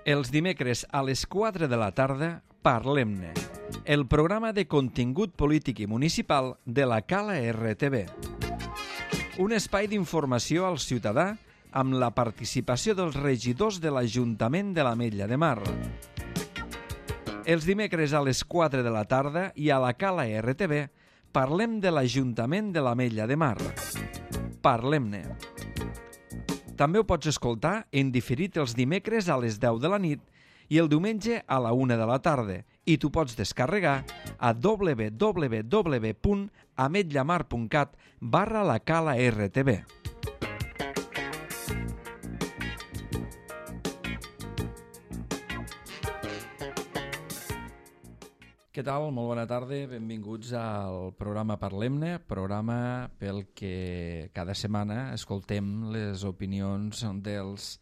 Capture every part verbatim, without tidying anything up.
Els dimecres a les quatre de la tarda, Parlem-ne, el programa de contingut polític i municipal de la Cala R T V. Un espai d'informació al ciutadà amb la participació dels regidors de l'Ajuntament de l'Ametlla de Mar. Els dimecres a les quatre de la tarda i a la Cala R T V parlem de l'Ajuntament de l'Ametlla de Mar. Parlem-ne. També ho pots escoltar en diferit els dimecres a les deu de la nit i el diumenge a la una de la tarda i t'ho pots descarregar a w w w punt ametllamar punt cat barra la Cala R T V. Què tal? Molt bona tarda, benvinguts al programa Parlem-ne, programa pel que cada setmana escoltem les opinions dels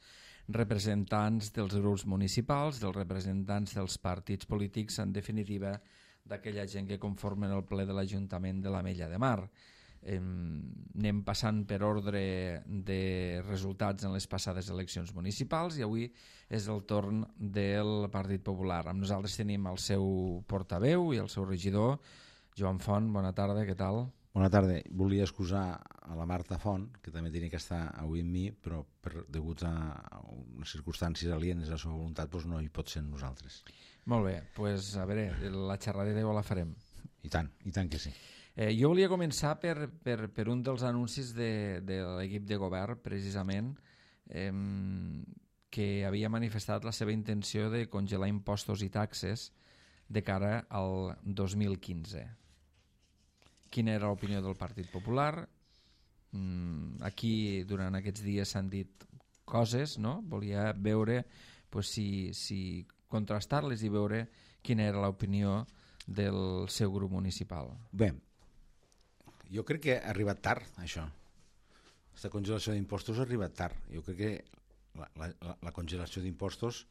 representants dels grups municipals, dels representants dels partits polítics, en definitiva, d'aquella gent que conformen el ple de l'Ajuntament de l'Ametlla de Mar. Eh, anem passant per ordre de resultats en les passades eleccions municipals i avui és el torn del Partit Popular. Amb nosaltres tenim el seu portaveu i el seu regidor, Joan Font. Bona tarda, què tal? Bona tarda. Volia excusar a la Marta Font, que també tenia que estar avui amb mi, però per, degut a unes circumstàncies alienes a la seva voluntat doncs no hi pot ser amb nosaltres. Molt bé, doncs a veure, la xerradera ja la farem. I tant, i tant que sí. Eh, jo volia començar per, per, per un dels anuncis de, de l'equip de govern, precisament, eh, que havia manifestat la seva intenció de congelar impostos i taxes de cara al dos mil quinze. Quina era l'opinió del Partit Popular? Mm, aquí, durant aquests dies, s'han dit coses, no? Volia veure pues, si, si contrastar-les i veure quina era l'opinió del seu grup municipal. Bé, jo crec que ha arribat tard, això. Aquesta congelació d'impostos ha arribat tard. Jo crec que la, la, la congelació d'impostos,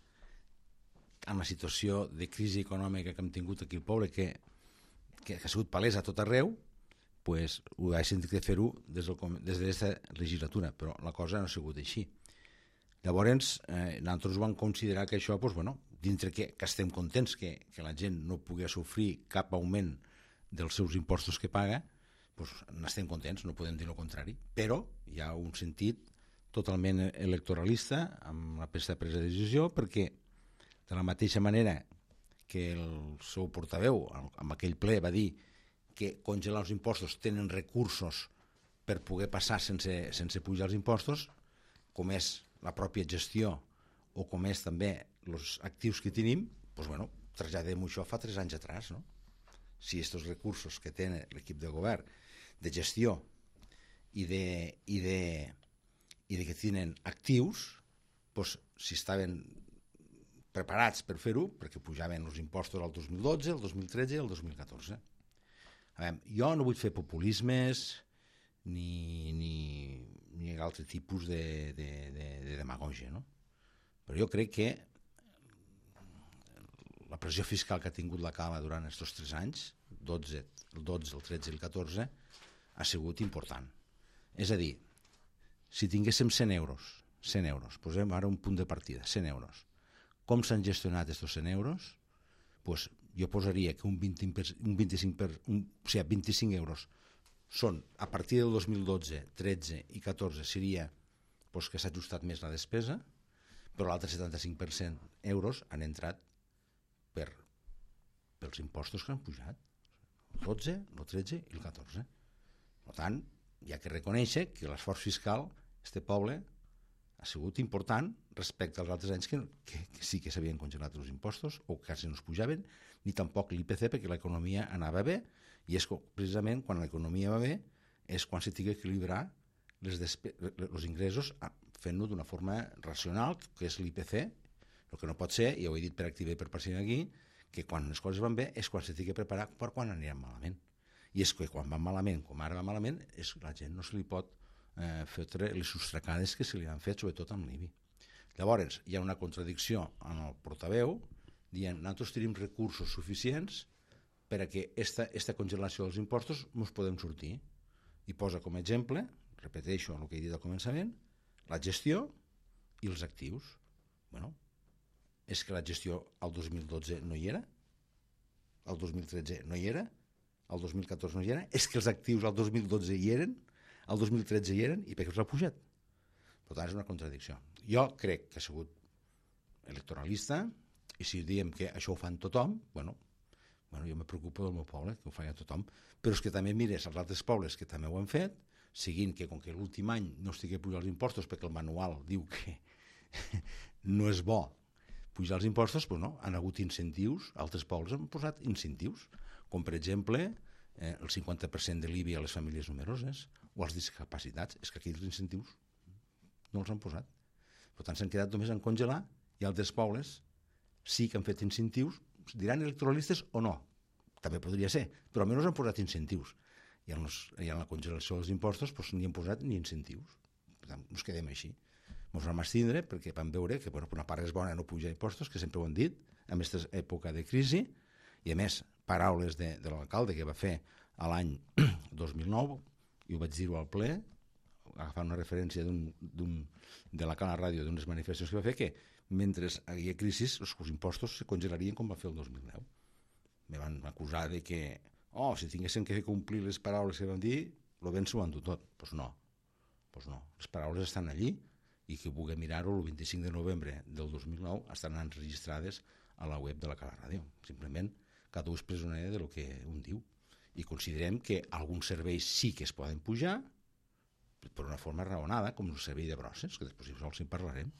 en la situació de crisi econòmica que hem tingut aquí al poble, que, que ha sigut palesa a tot arreu, pues, ho ha sentit de fer-ho des d'aquesta legislatura, però la cosa no ha sigut així. Llavors, eh, nosaltres vam considerar que això, pues, bueno, dintre que, que estem contents que, que la gent no pugui sofrir cap augment dels seus impostos que paga, pues, n'estem contents, no podem dir el contrari, però hi ha un sentit totalment electoralista amb la presa de decisió, perquè de la mateixa manera que el seu portaveu en aquell ple va dir que congelar els impostos tenen recursos per poder passar sense, sense pujar els impostos, com és la pròpia gestió o com és també els actius que tenim, pues, bueno, traslladem això fa tres anys atrás, no? Si aquests recursos que té l'equip de govern de gestió i de, i de, i de que tenen actius, pues, si estaven preparats per fer-ho, perquè pujaven els impostos al dos mil dotze, el dos mil tretze i el dos mil catorze. A veure, jo no vull fer populismes ni, ni, ni altre tipus de, de, de, de demagògia, no? Però jo crec que la pressió fiscal que ha tingut la Cala durant aquests tres anys, dotze, el dotze, el tretze i el catorze, ha sigut important. És a dir, si tinguéssim cent euros, cent euros, posem ara un punt de partida, cent euros. Com s'han gestionat aquests cent euros? Pues jo posaria que un, vint per, un vint-i-cinc per, un, o sigui, vint-i-cinc euros són, a partir del dos mil dotze, tretze i catorze seria pues, que s'ha ajustat més la despesa, però l'altre setanta-cinc per cent euros han entrat per, pels impostos que han pujat, el dotze, el tretze i el catorze. Per tant, hi ha que reconèixer que l'esforç fiscal, este poble, ha sigut important respecte als altres anys que, que, que sí que s'havien congelat els impostos o quasi no es pujaven, ni tampoc l'I P C perquè l'economia anava bé, i és precisament quan l'economia va bé és quan s'ha d'equilibrar els ingressos fent-ho d'una forma racional, que és l'I P C. El que no pot ser, i ho he dit per activa i per passiva aquí, que quan les coses van bé és quan s'ha de preparar per quan aniran malament. I és que quan van malament, com ara va malament, és que la gent no se li pot eh, fer les sostracades que se li han fet, sobretot amb l'I B I. Llavors, hi ha una contradicció en el portaveu dient nosaltres tenim recursos suficients per a que esta, esta congelació dels impostos ens podem sortir. I posa com a exemple, repeteixo el que he dit al començament, la gestió i els actius. Bueno, és que la gestió al dos mil dotze no hi era, al dos mil tretze no hi era, al dos mil catorze no hi era, és que els actius al dos mil dotze hi eren, al dos mil tretze hi eren, i per què els ha pujat? Per tant, és una contradicció. Jo crec que ha sigut electoralista, i si diem que això ho fan tothom, bueno, bueno, jo me preocupo del meu poble, que ho faci tothom, però és que també mires els altres pobles que també ho han fet, seguint que com que l'últim any no estigui pujant els impostos perquè el manual diu que no és bo pujar els impostos, doncs no, han hagut incentius, altres pobles han posat incentius, com per exemple eh, el cinquanta per cent de l'I B I a les famílies numeroses o als discapacitats. És que aquí els incentius no els han posat. Per tant, s'han quedat només en congelar, i altres pobles sí que han fet incentius, diran electoralistes o no, també podria ser, però almenys han posat incentius. I en, los, i en la congelació dels impostos doncs, ni han posat ni incentius. Per tant, ens quedem així. Ens vam abstindre perquè vam veure que bueno, una part és bona no pujar impostos, que sempre ho han dit, en aquesta època de crisi, i a més, paraules de, de l'alcalde que va fer a l'any dos mil nou, i ho vaig dir-ho al ple, agafant una referència d'un, d'un, de la Cala Ràdio d'unes manifestacions que va fer, que mentre hi havia crisi els impostos se congelarien com va fer el dos mil deu. Me van acusar de que oh, si tinguessin que complir les paraules que vam dir, lo ben s'ho han dut tot. Doncs pues no, pues no, les paraules estan allí, i qui vulgui mirar-ho el vint-i-cinc de novembre del dos mil nou estan enregistrades a la web de la Cala Ràdio. Simplement, cada un és presoner de lo que un diu. I considerem que alguns serveis sí que es poden pujar, per una forma raonada, com el servei de brosses, que després si en parlarem.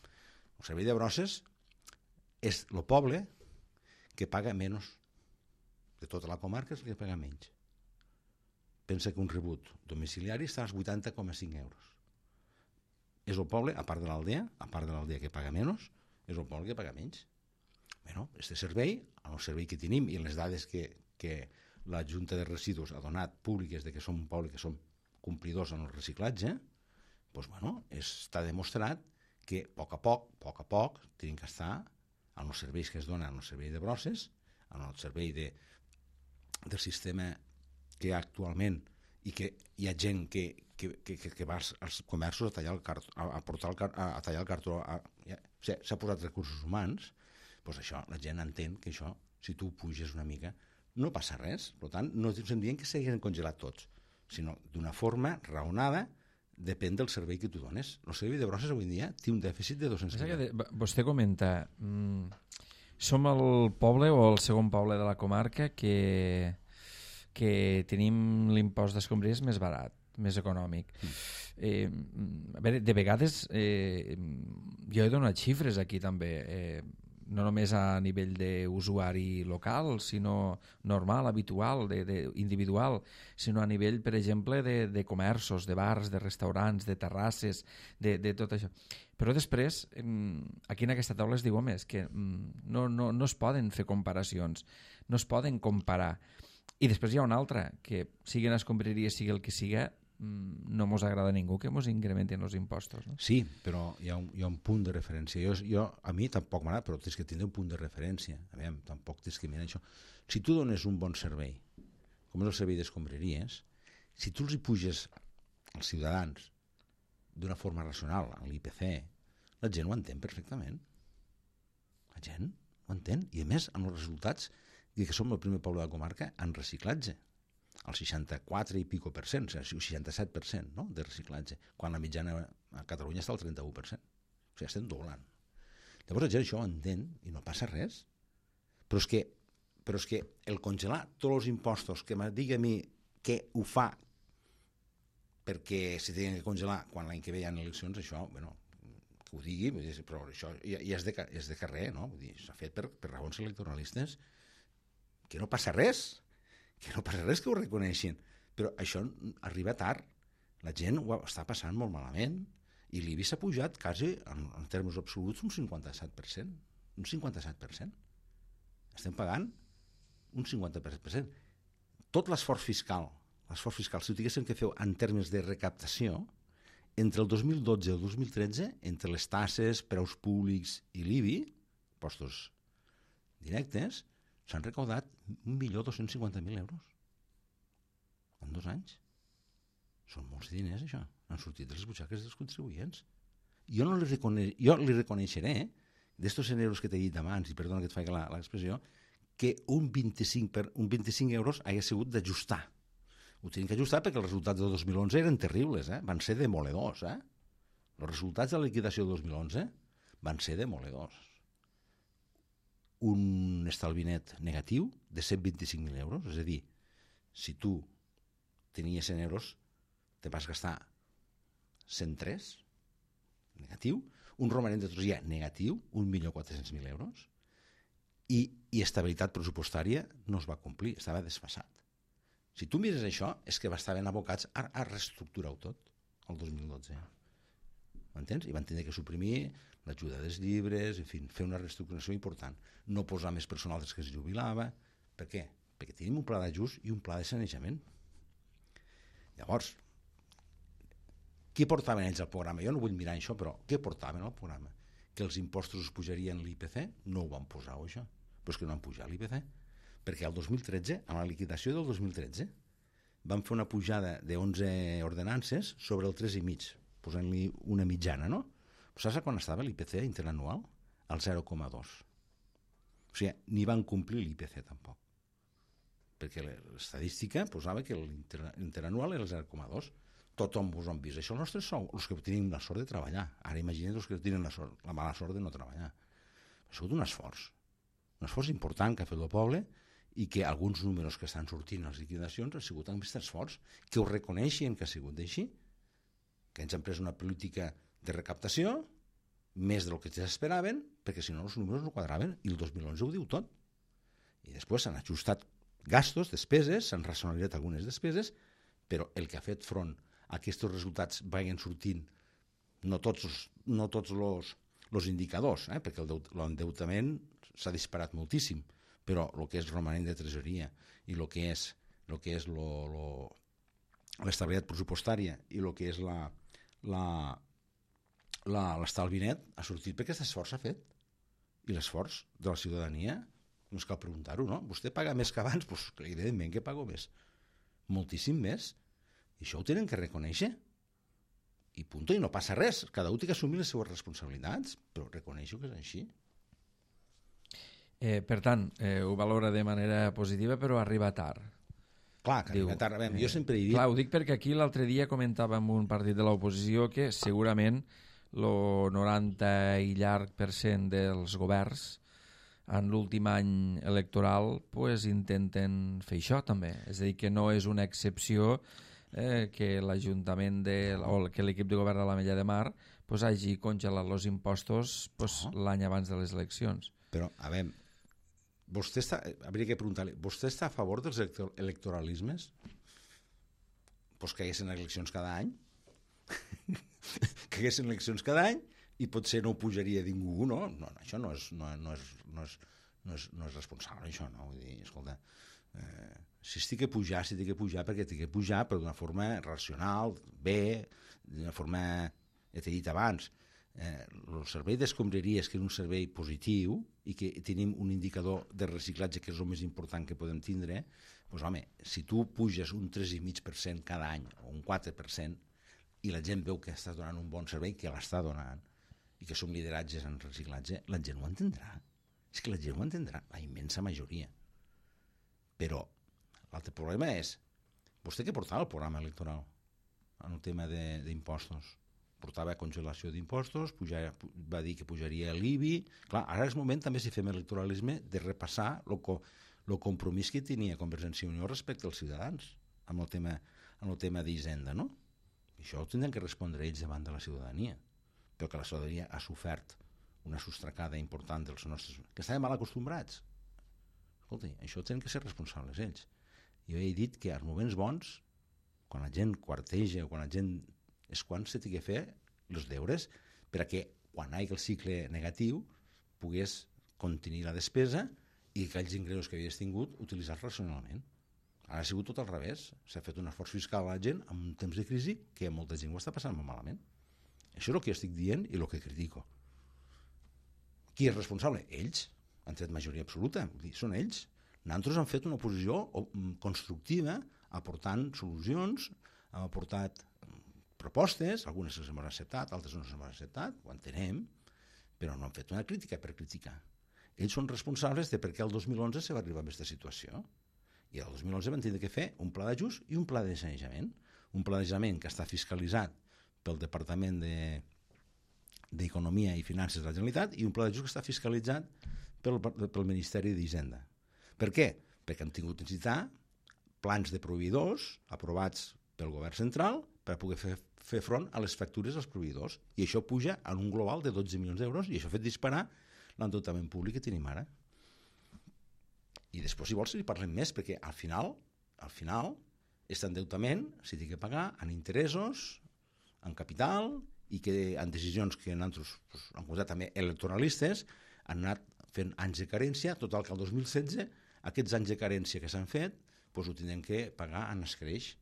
El servei de brosses és el poble que paga menys. De tota la comarca és el que paga menys. Pensa que un rebut domiciliari està als vuitanta coma cinc euros. És el poble, a part de l'aldea, a part de l'aldea que paga menys, és el poble que paga menys. Bueno, este servei, el servei que tenim i les dades que, que la Junta de Residus ha donat públiques de que som un poble que som complidors en el reciclatge, doncs, bueno, està demostrat que a poc a poc, a poc a poc, tenim que estar en els serveis que es donen en el servei de brosses, en el servei de, del sistema que hi ha actualment, i que hi ha gent que, que, que, que va als comerços a tallar el cartó, a, a portar el, a, a tallar el cartó, a, ja, o sigui, s'ha posat recursos humans, doncs això, la gent entén que això, si tu puges una mica, no passa res. Per tant, no estem dient que s'hagin congelat tots, sinó d'una forma raonada, depèn del servei que tu dones. El servei de brosses avui en dia té un dèficit de dos-cents mil. Vostè comenta, mmm, som el poble o el segon poble de la comarca que, que tenim l'impost d'escombraries més barat, més econòmic. Mm. Eh, a veure, de vegades eh, jo he donat xifres aquí també, eh, no només a nivell d'usuari local, sinó normal, habitual, de, de, individual, sinó a nivell, per exemple, de, de comerços, de bars, de restaurants, de terrasses, de, de tot això. Però després, aquí en aquesta taula es diu, home, és que no, no, no es poden fer comparacions, no es poden comparar. I després hi ha una altra, que sigui una escombraria, sigui el que siga, no mos agrada a ningú que mos incrementen els impostos. No? Sí, però hi ha, un, hi ha un punt de referència. Jo, jo, a mi tampoc m'agrada, però tens que tindre un punt de referència. A veure, tampoc tens que mirar això. Si tu dones un bon servei, com és el servei d'escombraries, si tu els hi puges als ciutadans d'una forma racional, a l'I P C, la gent ho entén perfectament. La gent ho entén. I a més, amb els resultats que som el primer poble de la comarca en reciclatge. El seixanta-quatre i pico per cent, o sigui, el seixanta-set per cent, no?, de reciclatge, quan la mitjana a Catalunya està al trenta-u per cent. O sigui, estem doblant. Llavors la gent això ho entén i no passa res. Però és que, però és que el congelar tots els impostos, que me digui a mi que ho fa perquè si tenen que congelar quan l'any que ve hi ha eleccions, això, bueno, que ho digui, però això ja, ja és, de, és de carrer, no? Vull dir, s'ha fet per, per raons electoralistes, que no passa res. que no passa res que ho reconeixin, però això arriba tard, la gent ho està passant molt malament, i l'I B I s'ha pujat quasi, en, en termes absoluts, un cinquanta-set per cent, un cinquanta-set per cent. Estem pagant un cinquanta per cent. Tot l'esforç fiscal, l'esforç fiscal, si ho tinguéssim que fer en termes de recaptació, entre el dos mil dotze i el dos mil tretze, entre les taxes, preus públics i l'I B I, impostos directes, s'han recaudat un milió dos-cents cinquanta mil euros en dos anys. Són molts diners, això. Han sortit de les butxaques dels contribuents. Jo, no li, recone... jo li reconeixeré d'estos cent euros que t'he dit abans, i perdona que et faig l'expressió, que un vint-i-cinc, per, un vint-i-cinc euros hagués sigut d'ajustar. Ho tenim que ajustar perquè els resultats del dos mil onze eren terribles, eh? Van ser demoledors. Eh? Els resultats de la liquidació del dos mil onze van ser demoledors. Un estalvi net negatiu de cent vint-i-cinc mil euros, és a dir, si tu tenies cent euros, te vas gastar cent tres, negatiu, un romanent de tresoreria negatiu, un milió quatre-cents mil euros, i, i estabilitat pressupostària no es va complir, estava desfasat. Si tu mires això, és que estaven abocats a, a reestructurar-ho tot el dos mil dotze. M'entens? I van tenir que suprimir l'ajuda dels llibres, en fi, fer una reestructuració important. No posar més personal des que es jubilava. Per què? Perquè tenim un pla d'ajust i un pla de sanejament. Llavors, què portaven ells al programa? Jo no vull mirar això, però què portaven al programa? Que els impostos es pujarien l'I P C? No ho van posar, això. Però és que no han pujat l'I P C. Perquè el dos mil tretze, amb la liquidació del dos mil tretze, van fer una pujada d'onze ordenances sobre el tres coma cinc, posant-li una mitjana, no? Però saps quan estava l'I P C interanual? Al zero coma dos. O sigui, ni van complir l'I P C tampoc. Perquè l'estadística posava que l'interanual era el zero coma dos. Tothom vos han vist. Això els nostres sou, els que tenim la sort de treballar. Ara imagina't els que tenen la, sort, la mala sort de no treballar. Ha sigut un esforç. Un esforç important que ha fet el poble i que alguns números que estan sortint a les liquidacions han sigut amb aquest esforç, que ho reconeixen que ha sigut així, que ens han pres una política de recaptació més del que s'esperaven, perquè si no els números no quadraven, i el dos mil onze ho diu tot. I després s'han ajustat gastos, despeses, s'han racionalitzat algunes despeses, però el que ha fet front a aquests resultats vagin sortint no tots els, no tots los, los indicadors, eh? Perquè l'endeutament s'ha disparat moltíssim, però el que és romanent de tresoreria i el que és, lo que és lo, lo, l'estabilitat pressupostària i el que és la, la, la, l'estalvi net ha sortit perquè aquest esforç s'ha fet. I l'esforç de la ciutadania, no és cal preguntar-ho, no? Vostè paga més que abans? Doncs evidentment que pago més. Moltíssim més. I això ho tenen que reconèixer. I punt, i no passa res. Cada un té que assumir les seues responsabilitats, però reconeixo que és així. Eh, per tant, eh, ho valora de manera positiva, però arriba tard. Clar, que Diu, arriba tard. Veure, eh, jo sempre he dit... Clar, ho dic perquè aquí l'altre dia comentava amb un partit de l'oposició que segurament el noranta i llarg per cent dels governs en l'últim any electoral pues, intenten fer això també. És a dir, que no és una excepció eh, que l'Ajuntament de, o que l'equip de govern de l'Ametlla de Mar pues, hagi congelat els impostos pues, no. l'any abans de les eleccions. Però, a veure, vostè està, hauria que preguntar-li, vostè està a favor dels electoralismes? Pues que hi haguessin eleccions cada any? Que hi haguessin eleccions cada any i potser no ho pujaria ningú, no? No, això no és, no, no és, no és, no és, no és responsable, això, no? Vull dir, escolta, eh, si estic que pujar, si estic que pujar, perquè estic que pujar, però d'una forma racional, bé, d'una forma, ja t'he dit abans, eh, el servei d'escombraries, que és un servei positiu i que tenim un indicador de reciclatge que és el més important que podem tindre, doncs home, si tu puges un tres coma cinc per cent cada any o un quatre per cent i la gent veu que estàs donant un bon servei, que l'està donant, i que som lideratges en reciclatge, la gent ho entendrà. És que la gent ho entendrà, la immensa majoria. Però l'altre problema és, vostè què portava el programa electoral en el tema d'impostos? Portava congelació d'impostos, va dir que pujaria l'I B I. Clar, ara és moment també, si fem electoralisme, de repassar el co compromís que tenia Convergència i Unió respecte als ciutadans amb el tema, amb el tema d'Hisenda, no? I això ho tindran que respondre ells davant de la ciutadania, però que la ciutadania ha sofert una sostracada important dels nostres... que estaven mal acostumbrats. Escolta, això tenen que ser responsables ells. Jo he dit que als moments bons, quan la gent quarteja o quan la gent... és quan s'ha de fer els deures perquè quan hi hagi el cicle negatiu pogués contenir la despesa i que aquells ingressos que havies tingut utilitzar racionalment. Ara ha sigut tot al revés. S'ha fet un esforç fiscal a la gent en un temps de crisi que molta gent ho està passant molt malament. Això és el que estic dient i el que critico. Qui és responsable? Ells. Han tret majoria absoluta. Vull dir, són ells. Nosaltres hem fet una oposició constructiva aportant solucions, hem aportat propostes, algunes les hem acceptat, altres no les hem acceptat, ho entenem, però no han fet una crítica per criticar. Ells són responsables de per què el dos mil onze se va arribar a aquesta situació. I el dos mil onze van tenir que fer un pla d'ajust i un pla de sanejament. Un pla de sanejament que està fiscalitzat pel Departament de, d'Economia i Finances de la Generalitat i un pla d'ajust que està fiscalitzat pel, pel Ministeri d'Hisenda. Per què? Perquè hem tingut que necessitar plans de proveïdors aprovats pel govern central per poder fer, fer front a les factures dels proveïdors. I això puja en un global de dotze milions d'euros i això ha fet disparar l'endeutament públic que tenim ara. I després, si vols, si parlem més, perquè al final, al final, aquest endeutament s'hi té que pagar en interessos, en capital, i que en decisions que nosaltres pues, han posat també electoralistes han anat fent anys de carència, total que el dos mil setze aquests anys de carència que s'han fet pues, ho tindrem que pagar en escreix.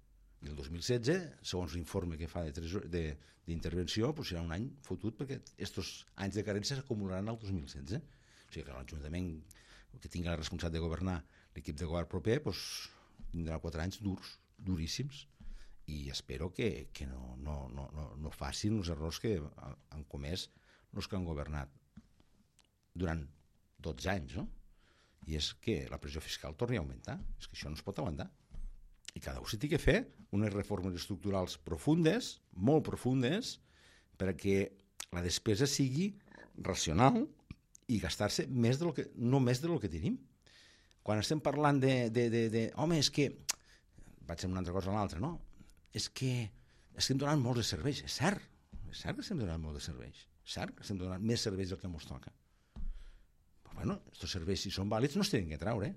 I el dos mil setze, segons l'informe que fa d'intervenció, pues, serà un any fotut perquè aquests anys de carència s'acumularan al dos mil setze. O sigui que l'Ajuntament que tingui la responsabilitat de governar l'equip de govern proper pues, tindrà quatre anys durs, duríssims, i espero que, que no, no, no, no, no facin els errors que han comès els que han governat durant dotze anys, no? I és que la pressió fiscal torni a augmentar. És que això no es pot aguantar. I cada un s'hi té que fer unes reformes estructurals profundes, molt profundes, perquè la despesa sigui racional i gastar-se més del que, no més del que tenim. Quan estem parlant de, de, de, de home, és que vaig a una altra cosa a l'altra, no? És que estem donant molts de serveis. És cert, és cert que estem donant molts de serveis. És cert que estem donant més serveis del que ens toca. Però, bueno, aquests serveis, si són vàlids, no es tenen que treure.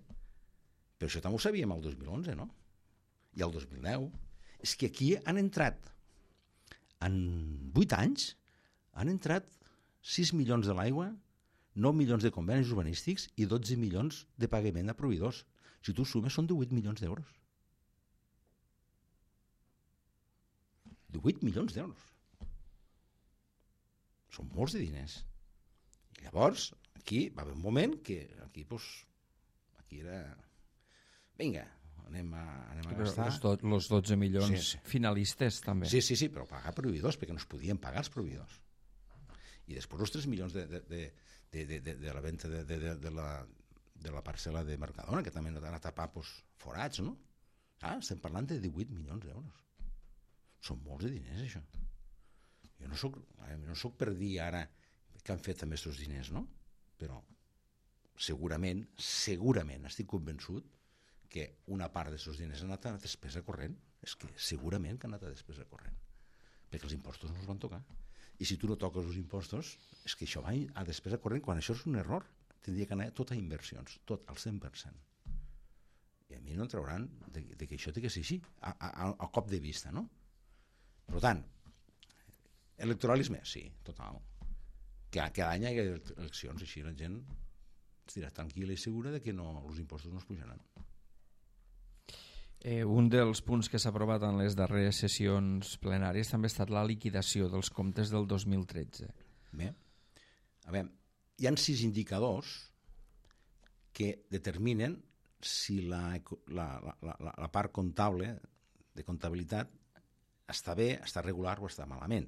Però això també ho sabíem el dos mil onze, no? I el dos mil deu. És que aquí han entrat, en vuit anys, han entrat sis milions de l'aigua, nou milions de convenis urbanístics i dotze milions de pagament a proveïdors. Si tu sumes, són divuit milions d'euros. divuit milions d'euros. Són molts de diners. I llavors, aquí va haver un moment que aquí, pues, aquí era... Vinga, anem a, anem a gastar... Però els, do, els dotze milions sí, sí. finalistes, també. Sí, sí, sí, però pagar proveïdors, perquè no es podien pagar els proveïdors. I després els tres milions de, de, de, de, de, de, de la venda de, de, de, la, de la parcel·la de Mercadona, que també han a tapar pues, forats, no? Ah, estem parlant de divuit milions d'euros. Són molts de diners, això. Jo no soc, no soc per dir ara que han fet amb aquests diners, no? Però segurament, segurament, estic convençut que una part d'aquests diners ha anat a despesa corrent. És que segurament que ha anat a despesa corrent. Perquè els impostos no els van tocar. I si tu no toques els impostos, és que això va a despesa corrent, quan això és un error. Tindria que anar tot a inversions, tot al cent per cent. I a mi no em trauran de, de que això té que ser així, a, a, a cop de vista, no? Per tant, electoralisme, sí, total. Que cada any hi ha eleccions, així la gent estarà tranquil·la i segura de que no, els impostos no es pujaran. Eh, un dels punts que s'ha aprovat en les darreres sessions plenàries també ha estat la liquidació dels comptes del dos mil tretze. Bé, a veure, hi ha sis indicadors que determinen si la, la, la, la, la part comptable de comptabilitat està bé, està regular o està malament.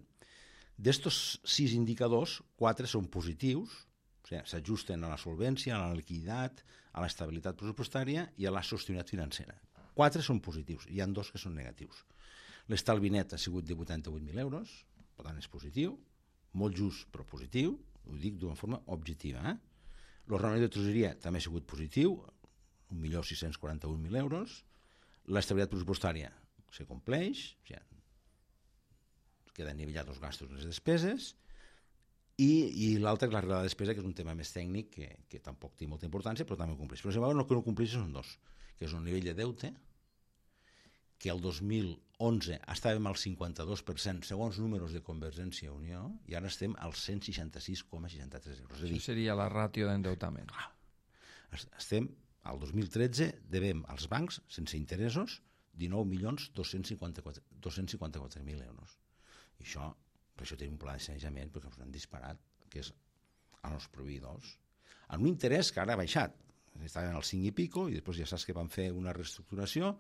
D'estos sis indicadors, quatre són positius, o sigui, s'ajusten a la solvència, a la liquiditat, a l'estabilitat pressupostària i a la sostenibilitat financera. Quatre són positius, hi ha dos que són negatius. L'estalvi net ha sigut de vuitanta-vuit mil euros, per tant és positiu, molt just però positiu, ho dic d'una forma objectiva. Eh? L'ordenament de tresoreria també ha sigut positiu, un milió sis-cents quaranta-un mil euros, l'estabilitat pressupostària se compleix, o sigui, queden nivellats els gastos i les despeses, i, i l'altre és la regla de despesa, que és un tema més tècnic que, que tampoc té molta importància, però també ho compleix. Però si el que no compleix són dos, que és un nivell de deute, que el dos mil onze estàvem al cinquanta-dos per cent segons números de Convergència i Unió, i ara estem al cent seixanta-sis coma seixanta-tres euros. Això seria la ràtio d'endeutament. Estem, al dos mil tretze, devem als bancs, sense interessos, dinou milions dos-cents cinquanta-quatre mil euros. I això, per això tenim un pla de sanejament, perquè ens han disparat, que és als proveïdors, amb un interès que ara ha baixat. Estaven al cinc i pico, i després ja saps que van fer una reestructuració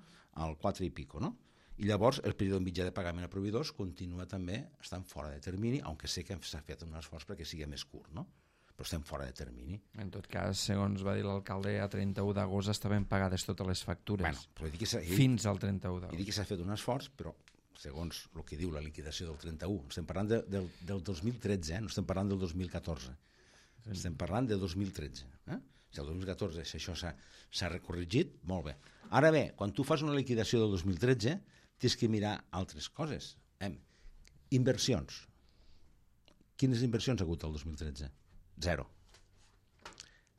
al quatre i pico, no? I llavors el període mitjà de pagament a proveïdors continua també estant fora de termini, aunque sé que s'ha fet un esforç perquè sigui més curt, no? però estem fora de termini. En tot cas, segons va dir l'alcalde, a trenta-u d'agost estaven pagades totes les factures, Bueno, però dic que s'ha- fins al trenta-u I d'agost. dic que s'ha fet un esforç, però segons el que diu la liquidació del trenta-u, estem parlant de, del, del dos mil tretze, eh? No estem parlant del dos mil catorze. Estem parlant de dos mil tretze. Eh? Si el dos mil catorze si això s'ha s'ha recorregit, molt bé. Ara bé, quan tu fas una liquidació del dos mil tretze, tens que mirar altres coses. Eh? Inversions. Quines inversions ha hagut el dos mil tretze? Zero.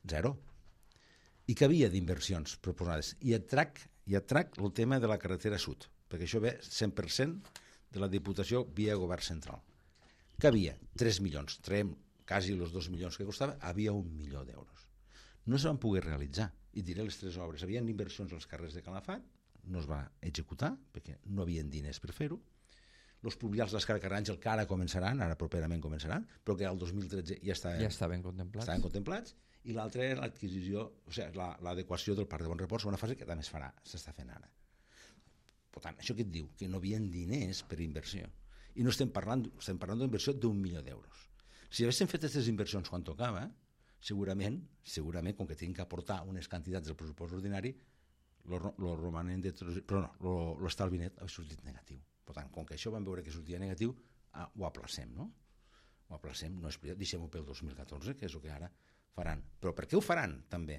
Zero. I què havia d'inversions proposades? I et trac, i et trac el tema de la carretera sud, perquè això ve cent per cent de la Diputació via Govern Central. Que havia? tres milions. Traiem quasi els dos milions que costava, havia un milió d'euros. No es van poder realitzar. I diré les tres obres. Havien inversions als carrers de Calafat, no es va executar, perquè no havien diners per fer-ho. Els pluvials dels Carcaràngel, que ara començaran, ara properament començaran, però que al dos mil tretze ja estaven, Ja estaven contemplats. estaven contemplats, i l'altra era l'adquisició, o sigui, la, l'adequació del Parc de Bon Repòs, una fase que també es farà, s'està fent ara. Per tant, això que et diu? Que no havien diners per inversió. I no estem parlant, estem parlant d'inversió d'un milió d'euros. Si haguéssim fet aquestes inversions quan tocava, segurament, segurament, com que tinc que aportar unes quantitats del pressupost ordinari, el romanent de... Però no, l'estalvi net ha sortit negatiu. Per tant, com que això vam veure que sortia negatiu, ah, ho aplacem, no? Ho aplacem, no és veritat, deixem-ho pel dos mil catorze, que és el que ara faran. Però per què ho faran, també?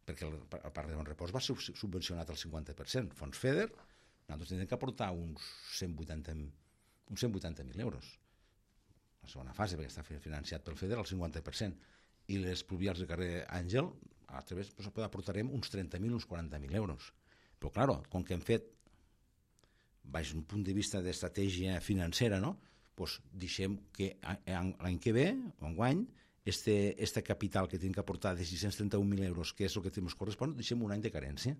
Perquè el, el Parc de Bon Repòs va ser subvencionat al cinquanta per cent. Fons FEDER, nosaltres tindrem que aportar uns cent vuitanta mil euros. La segona fase, perquè està financiat pel FEDER al cinquanta per cent. I les pluvials de carrer Àngel, a través, doncs, aportarem uns trenta mil, uns quaranta mil euros. Però, clar, com que hem fet baix un punt de vista d'estratègia financera, no? Pues deixem que l'any que ve, enguany, este, este capital que tenim que aportar de sis-cents trenta-un mil euros, que és el que ens correspon, deixem un any de carència,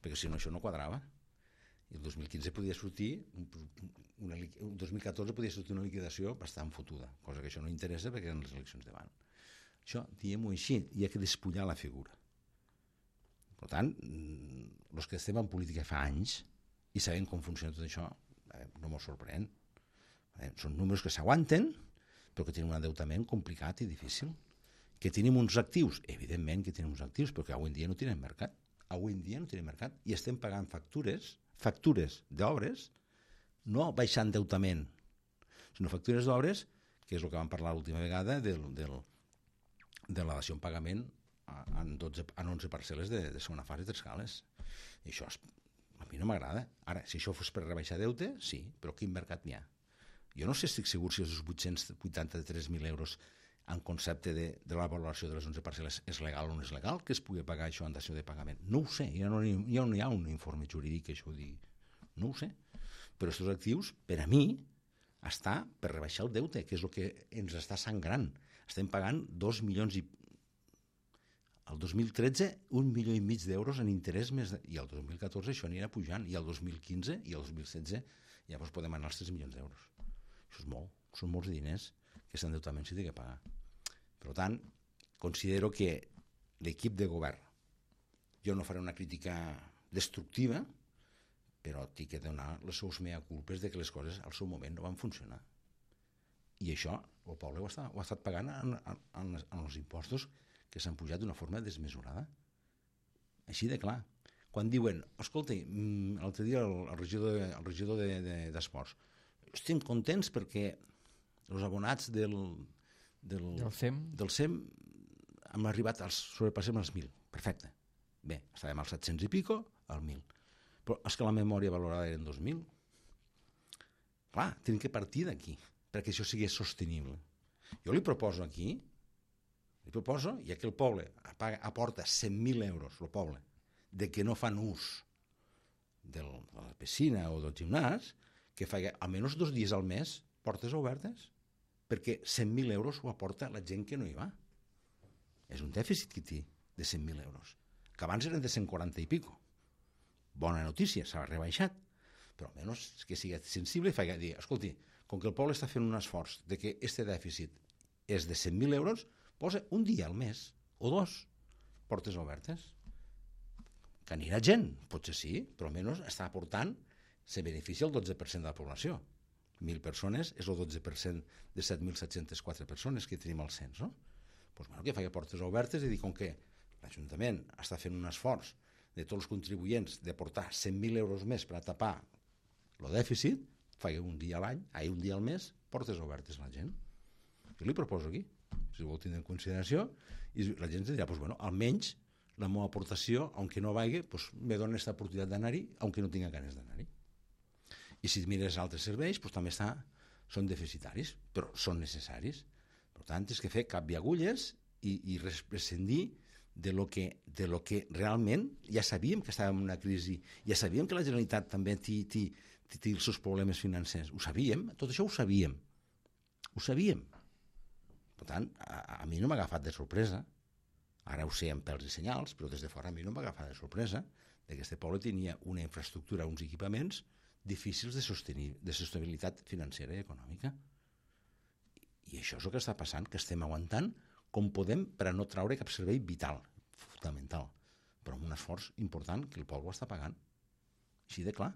perquè si no això no quadrava. I el dos mil quinze podia sortir, una, el dos mil catorze podia sortir una liquidació bastant fotuda, cosa que això no interessa perquè eren les eleccions davant. Això, diguem-ho així, hi ha que despullar la figura. Per tant, els que estem en política fa anys, i sabem com funciona tot això, eh, no m'ho sorprèn. Eh, són números que s'aguanten, però que tenen un endeutament complicat i difícil. Que tenim uns actius? Evidentment que tenim uns actius, però que avui en dia no tenen mercat. Avui en dia no tenen mercat. I estem pagant factures, factures d'obres, no baixant endeutament, sinó factures d'obres, que és el que vam parlar l'última vegada, del, del, de la dació en pagament en, dotze, en onze parcel·les de, de segona fase de tres cales. I això és a mi no m'agrada. Ara, si això fos per rebaixar deute, sí, però quin mercat n'hi ha? Jo no sé, estic segur si els vuit-cents vuitanta-tres mil euros en concepte de, de la valoració de les onze parcel·les és legal o no és legal, que es pugui pagar això en dació de pagament. No ho sé, ja no, ja no hi ha un informe jurídic que això ho digui. No ho sé. Però aquests actius, per a mi, està per rebaixar el deute, que és el que ens està sangrant. Estem pagant dos milions i el dos mil tretze, un milió i mig d'euros en interès més de... i el dos mil catorze això anirà pujant, i el dos mil quinze i el dos mil setze llavors podem anar als tres milions d'euros. Això és molt, són molts diners que aquest endeutament s'hi té que pagar. Per tant, considero que l'equip de govern, jo no faré una crítica destructiva, però tinc que donar les seus mea culpes de que les coses al seu moment no van funcionar. I això el poble ho, està, ho ha estat pagant en, en, en, en els impostos que s'han pujat d'una forma desmesurada. Així de clar. Quan diuen, escolta, l'altre dia el, el regidor, el regidor de, de, d'esports, estem contents perquè els abonats del, del, del C E M del C E M hem arribat, als, sobrepassem els mil. Perfecte. Bé, estàvem als set-cents i pico, al mil. Però és que la memòria valorada eren dos mil. Clar, tenim que partir d'aquí perquè això sigui sostenible. Jo li proposo aquí Li proposo, ja que el poble aporta cent mil euros, el poble, de que no fan ús del, de la piscina o del gimnàs, que faci almenys dos dies al mes portes obertes, perquè cent mil euros ho aporta la gent que no hi va. És un dèficit que té de cent mil euros, que abans eren de cent quaranta i pico. Bona notícia, s'ha rebaixat, però almenys que sigui sensible i faci dir, escolti, com que el poble està fent un esforç de que este dèficit és de cent mil euros, posa un dia al mes, o dos, portes obertes. Que anirà gent, potser sí, però almenys està aportant, se beneficia el dotze per cent de la població. Mil persones és el dotze per cent de set mil set-cents quatre persones que tenim al cens, no? Pues, bueno, que faci portes obertes i dir, com que l'Ajuntament està fent un esforç de tots els contribuents de portar cent mil euros més per a tapar el dèficit, faci un dia a l'any, ai, un dia al mes, portes obertes a la gent. Jo li proposo aquí, si ho vol tindre en consideració, i la gent dirà, pues, bueno, almenys la meva aportació, aunque no vagi, pues, me dona aquesta oportunitat d'anar-hi, aunque no tinga ganes d'anar-hi. I si mires altres serveis, pues, també està, són deficitaris, però són necessaris. Per tant, és que fer canviar agulles i, i prescindir de lo, que, de lo que realment ja sabíem que estàvem en una crisi, ja sabíem que la Generalitat també té, té, té els seus problemes financers, ho sabíem, tot això ho sabíem, ho sabíem. Per tant, a, a mi no m'ha agafat de sorpresa, ara ho sé amb pèls i senyals, però des de fora a mi no m'ha agafat de sorpresa que aquest poble tenia una infraestructura, uns equipaments difícils de, sostenir, de sostenibilitat financera i econòmica. I això és el que està passant, que estem aguantant com podem per a no traure cap servei vital, fundamental, però amb un esforç important que el poble està pagant. Així de clar.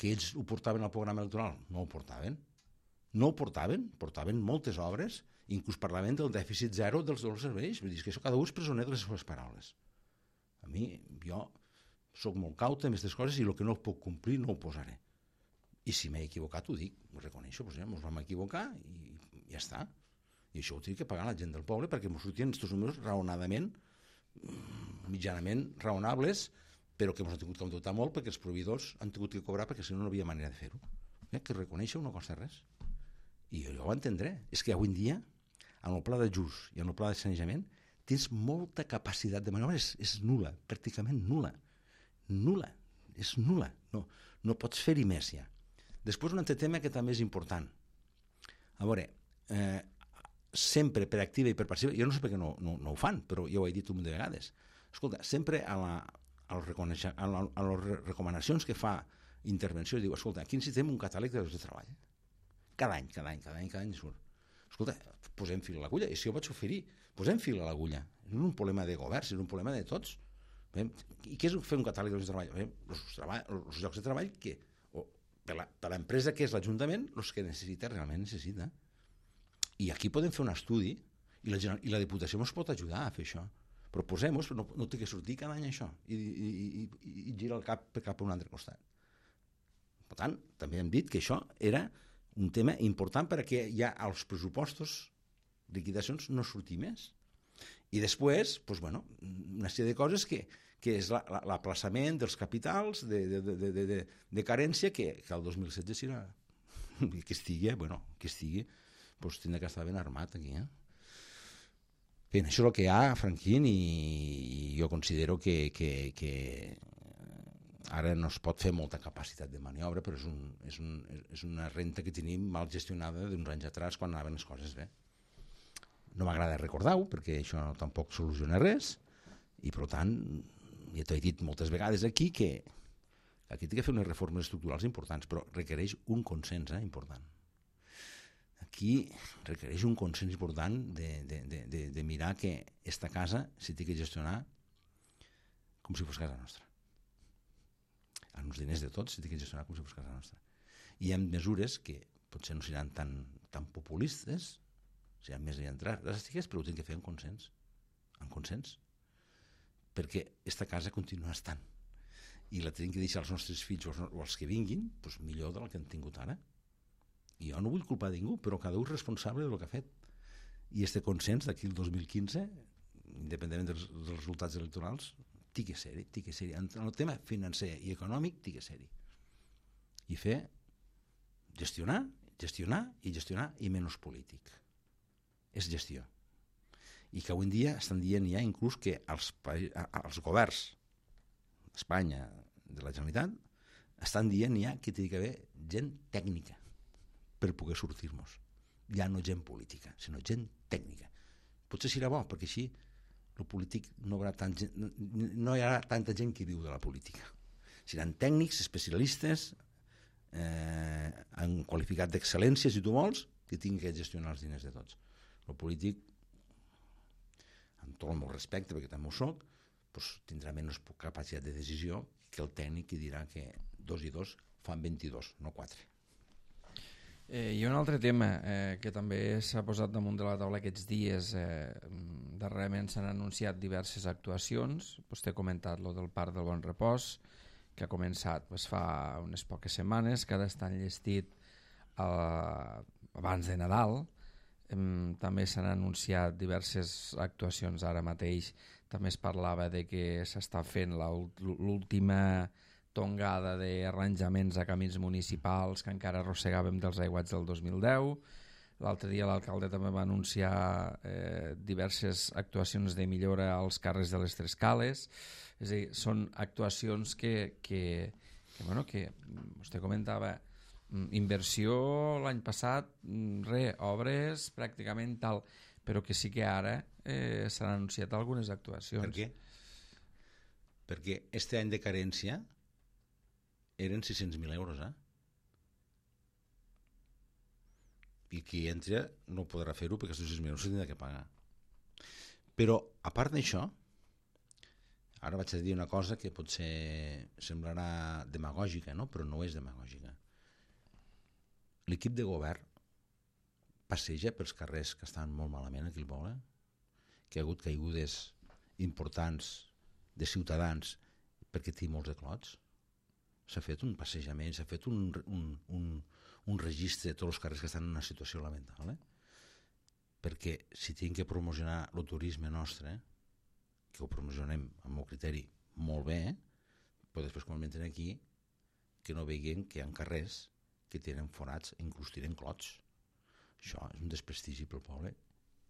Que ells ho portaven al programa electoral? No ho portaven. No ho portaven, portaven moltes obres, inclús parlaven del dèficit zero dels dos serveis. Vull dir que això cada un és presoner de les seves paraules. A mi, jo soc molt caute amb aquestes coses i el que no puc complir no ho posaré. I si m'he equivocat ho dic, ho reconeixo, doncs ja ens vam equivocar i ja està. I això ho tinc que pagar la gent del poble perquè ens sortien aquests números raonadament, mitjanament raonables, però que ens han tingut que dotar molt perquè els proveïdors han tingut que cobrar perquè si no no havia manera de fer-ho. Eh? Que reconèixer no costa res. I jo ho entendré. És que avui en dia, en el pla d'ajust i en el pla de sanejament, tens molta capacitat de maniobra, és, és nul·la, pràcticament nul·la. Nul·la, és nul·la. No, no pots fer-hi més ja. Després un altre tema que també és important. A veure, eh, sempre per activa i per passiva, jo no sé per què no, no, no ho fan, però jo ho he dit un munt de vegades. Escolta, sempre a, la, a, les a, la, a les recomanacions que fa intervenció, diu, escolta, aquí necessitem un catàleg de llocs de treball. Cada any, cada any, cada any, cada any surt. Escolta, posem fil a l'agulla, i si jo vaig oferir, posem fil a l'agulla. No és un problema de govern, és un problema de tots. I què és fer un catàleg de llocs de treball? Els, treball, els llocs de treball que, o, per l'empresa que és l'Ajuntament, els que necessita, realment necessita. I aquí podem fer un estudi i la, i la Diputació ens pot ajudar a fer això. Però posem-ho, no, no té que sortir cada any això i, i, i, i gira el cap cap a un altre costat. Per tant, també hem dit que això era un tema important perquè ja als pressupostos, liquidacions, no surti més. I després, doncs, bueno, una sèrie de coses que, que és l'aplaçament dels capitals de, de, de, de, de, de carència que, que el dos mil setze serà que estigui, bueno, que estigui, doncs tindrà que estar ben armat aquí, eh? Bé, això és el que hi ha, Franquín, i, i jo considero que, que, que ara no es pot fer molta capacitat de maniobra, però és, un, és, un, és una renta que tenim mal gestionada d'uns anys atrás quan anaven les coses bé. No m'agrada recordar-ho, perquè això tampoc soluciona res, i per tant, ja t'ho he dit moltes vegades aquí, que aquí té que fer unes reformes estructurals importants, però requereix un consens eh, important. Aquí requereix un consens important de, de, de, de, de mirar que esta casa s'hi té que gestionar com si fos casa nostra. Amb els diners de tots s'hi té que gestionar com si fos casa nostra. I hi ha mesures que potser no seran tan, tan populistes, seran més dràstiques, però ho tenen que fer en consens. En consens. Perquè aquesta casa continua estant. I la tenim que deixar als nostres fills o als que vinguin doncs millor del que han tingut ara. I jo no vull culpar ningú, però cada un és responsable del que ha fet. I este consens d'aquí el dos mil quinze, independentment dels, dels resultats electorals, té que ser-hi, té que ser-hi. En el tema financer i econòmic, té que ser-hi. I fer, gestionar, gestionar i gestionar i menys polític. És gestió. I que avui en dia estan dient ja inclús que els, els governs d'Espanya, de la Generalitat, estan dient ja que té que haver gent tècnica per poder sortir-nos. Ja no gent política, sinó gent tècnica. Potser serà bo, perquè així el polític no, haurà tant, no hi haurà tanta gent que viu de la política. Seran tècnics, especialistes, eh, en qualificat d'excel·lències, si tu vols, que tinguin que gestionar els diners de tots. El polític, amb tot el meu respecte, perquè també ho soc, doncs tindrà menys capacitat de decisió que el tècnic que dirà que dos i dos fan vint-i-dos, no quatre. Eh, I un altre tema eh, que també s'ha posat damunt de la taula aquests dies, eh, darrerament s'han anunciat diverses actuacions. Vostè ha comentat lo del Parc del Bon Repòs, que ha començat pues, fa unes poques setmanes, que ara està enllestit eh, abans de Nadal. Eh, també s'han anunciat diverses actuacions ara mateix. També es parlava de que s'està fent la, l'última tongada d'arranjaments a camins municipals que encara arrossegàvem dels aiguats del dos mil deu. L'altre dia l'alcalde també va anunciar eh, diverses actuacions de millora als carrers de les Tres Cales. És a dir, són actuacions que, que, que, bueno, que vostè comentava, inversió l'any passat, re, obres pràcticament tal, però que sí que ara eh, s'han anunciat algunes actuacions. Per què? Perquè este any de carència eren sis-cents mil euros, eh? I qui entra no podrà fer-ho perquè aquests sis-cents mil euros s'han de pagar. Però, a part d'això, ara vaig a dir una cosa que potser semblarà demagògica, no? Però no és demagògica. L'equip de govern passeja pels carrers que estan molt malament aquí al poble, que hi ha hagut caigudes importants de ciutadans perquè té molts de clots. S'ha fet un passejament, s'ha fet un, un, un, un registre de tots els carrers que estan en una situació lamentable, perquè si tenim que promocionar el turisme nostre, que ho promocionem amb el criteri molt bé, però després quan entren aquí que no veien que hi ha carrers que tenen forats, inclús tenen clots. Això és un desprestigi pel poble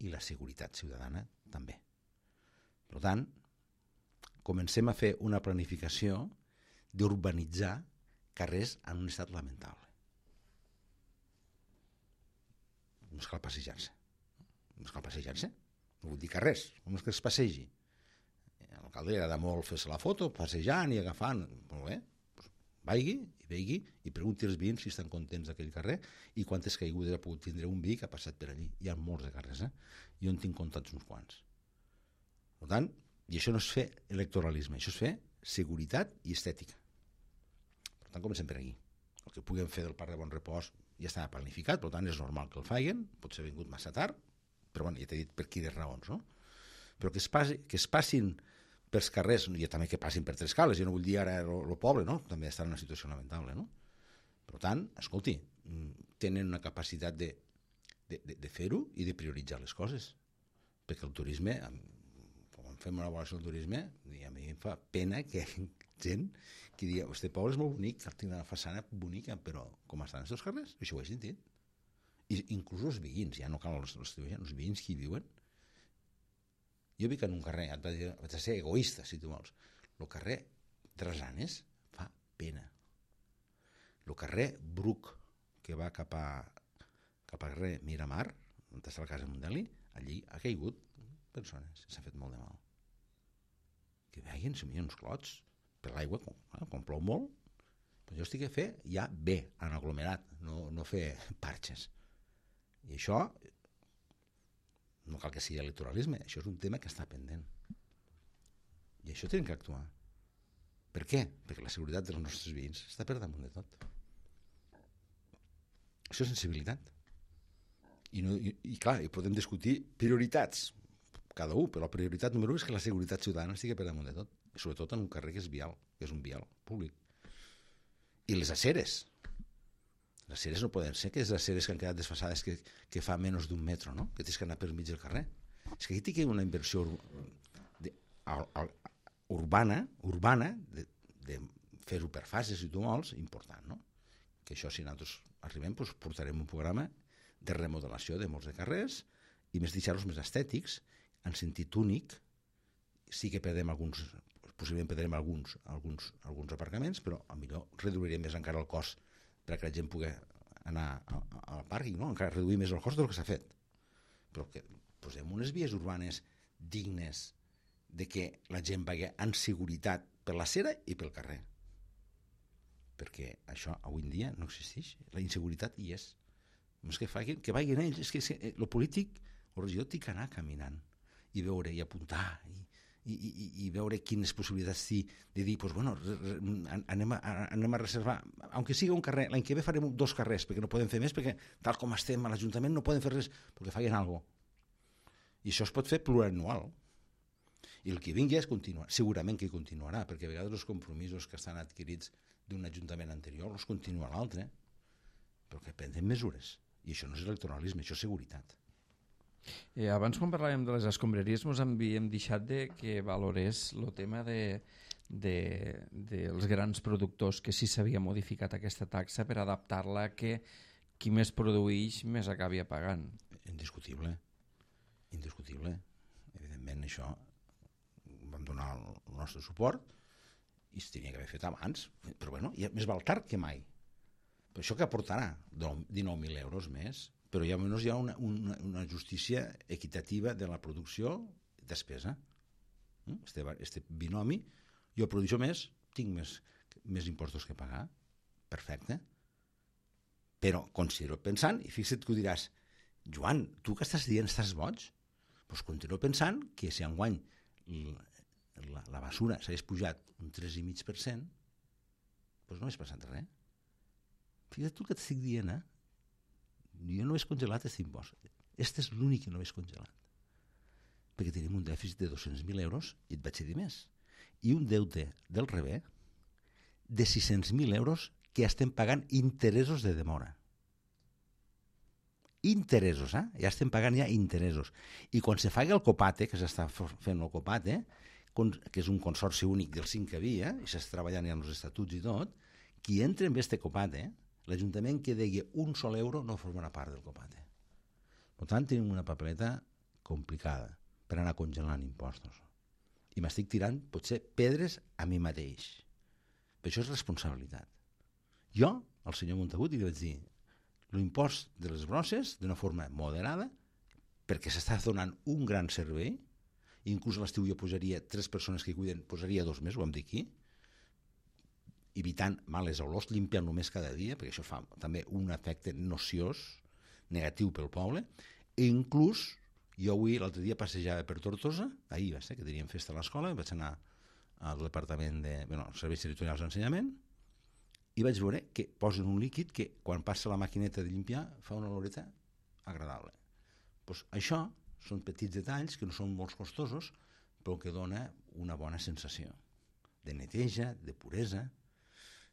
i la seguretat ciutadana també. Per tant, comencem a fer una planificació d'urbanitzar carrers en un estat lamentable. No és cal passejar-se. No és cal passejar-se. No vull dir carrers. Com és que es passegi? A l'alcalde li agrada molt fer-se la foto, passejant i agafant. Molt bé. Pues vagi i vegi i pregunti als veïns si estan contents d'aquell carrer i quantes caigudes ha pogut tindre un veí que ha passat per allí. Hi ha molts de carrers, eh? Jo en tinc comptats uns quants. Per tant, i això no és fer electoralisme, això és fer seguretat i estètica. Per tant, comencem per aquí. El que puguem fer del Parc de Bon Repòs ja estava planificat, per tant és normal que el facin, potser ha vingut massa tard, però bueno, ja t'he dit per quines raons, no? Però que es, passi, que es passin pels carrers, i també que passin per Tres Cales, jo no vull dir ara el poble, no? També està en una situació lamentable, no? Per tant, escolti, tenen una capacitat de, de, de, de fer-ho i de prioritzar les coses, perquè el turisme, quan fem una avaluació del turisme, a mi em fa pena que gent que diu, este poble és molt bonic, té una façana bonica, però com estan els seus carrers? Això ho he sentit. I inclús els veïns, ja no cal els, els, els veïns que hi viuen. Jo vic en un carrer, et vaig a ser egoista, si tu vols. El carrer Drasanes fa pena. El carrer Bruc, que va cap a cap al carrer Miramar, on està la casa Mondeli, allí ha caigut persones, s'ha fet molt de mal. Que veien, si m'hi ha uns clots, per l'aigua, quan, eh, quan plou molt, però jo estic a fer ja bé, en aglomerat, no, no fer parxes. I això, no cal que sigui electoralisme, això és un tema que està pendent. I això tenim que actuar. Per què? Perquè la seguretat dels nostres veïns està per damunt de tot. Això és sensibilitat. I, no, i, i clar, i podem discutir prioritats, cada un, però la prioritat número un és que la seguretat ciutadana estigui per damunt de tot. I sobretot en un carrer que és vial, que és un vial públic. I les aceres. Les aceres no poden ser que les aceres que han quedat desfasades que, que fa menys d'un metro, no? Que tens que anar per mig del carrer. És que aquí té una inversió de, a, a, urbana, urbana de, de fer-ho per fases, si tu vols, important, no? Que això, si nosaltres arribem, doncs portarem un programa de remodelació de molts de carrers i més deixar-los més estètics, en sentit únic. Sí que perdem alguns, possiblement perdrem alguns, alguns, alguns aparcaments, però a millor reduirem més encara el cost perquè la gent pugui anar al pàrquing, no? Encara reduir més el cost del que s'ha fet. Però que posem unes vies urbanes dignes de que la gent vagi en seguretat per la acera i pel carrer. Perquè això avui en dia no existeix. La inseguretat hi és. No és que, facin, que vagin ells, és que el polític o regidor té que anar caminant i veure i apuntar i, i, i, i veure quines possibilitats té de dir, pues, bueno, anem a, anem a reservar, aunque sigui un carrer, l'any que ve farem dos carrers, perquè no podem fer més, perquè tal com estem a l'Ajuntament no podem fer res, perquè facin alguna cosa. I això es pot fer plurianual. I el que vingui és continuar, segurament que continuarà, perquè a vegades els compromisos que estan adquirits d'un ajuntament anterior els continua l'altre, però que prenen mesures. I això no és electoralisme, això és seguretat. Eh, abans, quan parlàvem de les escombraries, ens havíem deixat de que valorés el tema de, de, dels grans productors, que sí s'havia modificat aquesta taxa per adaptar-la a que qui més produeix més acabi pagant. Indiscutible. Indiscutible. Evidentment, això vam donar el nostre suport i es tenia que haver fet abans, però bueno, ja més val tard que mai. Per això que aportarà dinou mil euros més, però ja almenys hi ha una, una, una justícia equitativa de la producció i despesa. Este, este binomi, jo produeixo més, tinc més, més impostos que pagar, perfecte, però considero pensant, i fixa't que ho diràs, Joan, tu que estàs dient, estàs boig? Doncs continuo pensant que si enguany la, la basura s'hagués pujat un tres coma cinc per cent, doncs no hagués passat res. Fixa't tu que t'estic dient, eh? Jo no he congelat aquest impost. Este és l'únic que no he congelat. Perquè tenim un dèficit de dos-cents mil euros, i et vaig dir més, i un deute del Rebé de sis-cents mil euros que estem pagant interessos de demora. Interessos, eh? Ja estem pagant ja interessos. I quan se faci el Copate, que s'està fent el Copate, que és un consorci únic dels cinc que havia, i s'està treballant ja en els estatuts i tot, qui entra en este Copate, l'Ajuntament que degui un sol euro no formarà part del Copate. Per tant, tenim una papeleta complicada per anar congelant impostos. I m'estic tirant, potser, pedres a mi mateix. Però això és responsabilitat. Jo, al senyor Montagut, li vaig dir l'impost de les brosses d'una forma moderada, perquè s'està donant un gran servei, inclús a l'estiu jo posaria tres persones que cuiden, posaria dos més, ho vam dir aquí, evitant males olors, limpiant només cada dia, perquè això fa també un efecte nociós, negatiu pel poble, i inclús jo avui, l'altre dia, passejava per Tortosa, ahir va ser, que teníem festa a l'escola, vaig anar al departament de, bueno, als serveis territorials d'ensenyament, i vaig veure que posen un líquid que quan passa la maquineta de limpiar fa una oloreta agradable. Pues això són petits detalls que no són molt costosos, però que dona una bona sensació de neteja, de puresa,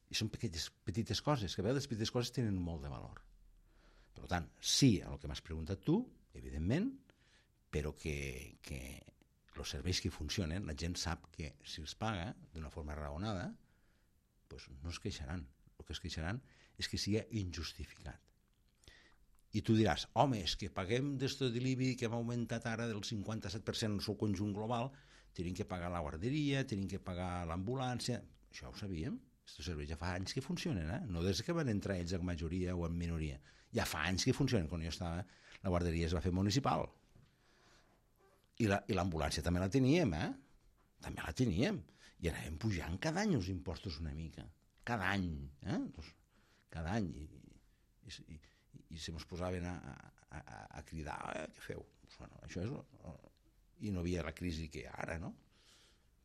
i són petites, petites coses, que a vegades les petites coses tenen molt de valor. Per tant, sí a el que m'has preguntat tu, evidentment, però que, que els serveis que funcionen, la gent sap que si els paga d'una forma raonada, pues no es queixaran. El que es queixaran és que sigui injustificat. I tu diràs, home, és que paguem d'esto de l'I B I que hem augmentat ara del cinquanta-set per cent en el seu conjunt global, tenim que pagar la guarderia, tenim que pagar l'ambulància. Això ho sabíem. Aquests serveis ja fa anys que funcionen, eh? No des que van entrar ells en majoria o en minoria. Ja fa anys que funcionen. Quan jo estava, la guarderia es va fer municipal. I l'ambulància també la teníem, eh? També la teníem. I anàvem pujant cada any els impostos una mica. Cada any. Eh? Doncs, cada any. I, i, i, i se mos posaven a, a, a, a cridar, eh, què feu? Pues, bueno, això és, i no havia la crisi que hi ha ara, no?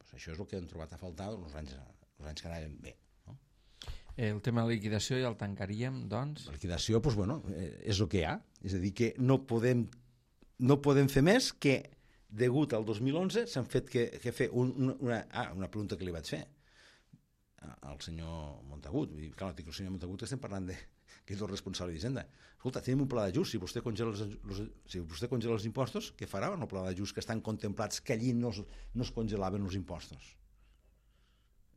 Pues això és el que hem trobat a faltar els anys, els anys que anàvem bé. No? El tema de la liquidació ja el tancaríem, doncs? La liquidació, pues, bueno, és el que hi ha. És a dir, que no podem, no podem fer més que degut al dos mil onze s'han fet que, que fer un, una, ah, una pregunta que li vaig fer al senyor Montagut. Clar, dic, el senyor Montagut estem parlant de que és el responsable d'Hisenda. Escolta, tenim un pla d'ajust, si vostè congela els, els, si vostè congela els impostos, què farà amb el pla d'ajust que estan contemplats que allí no es, no es congelaven els impostos?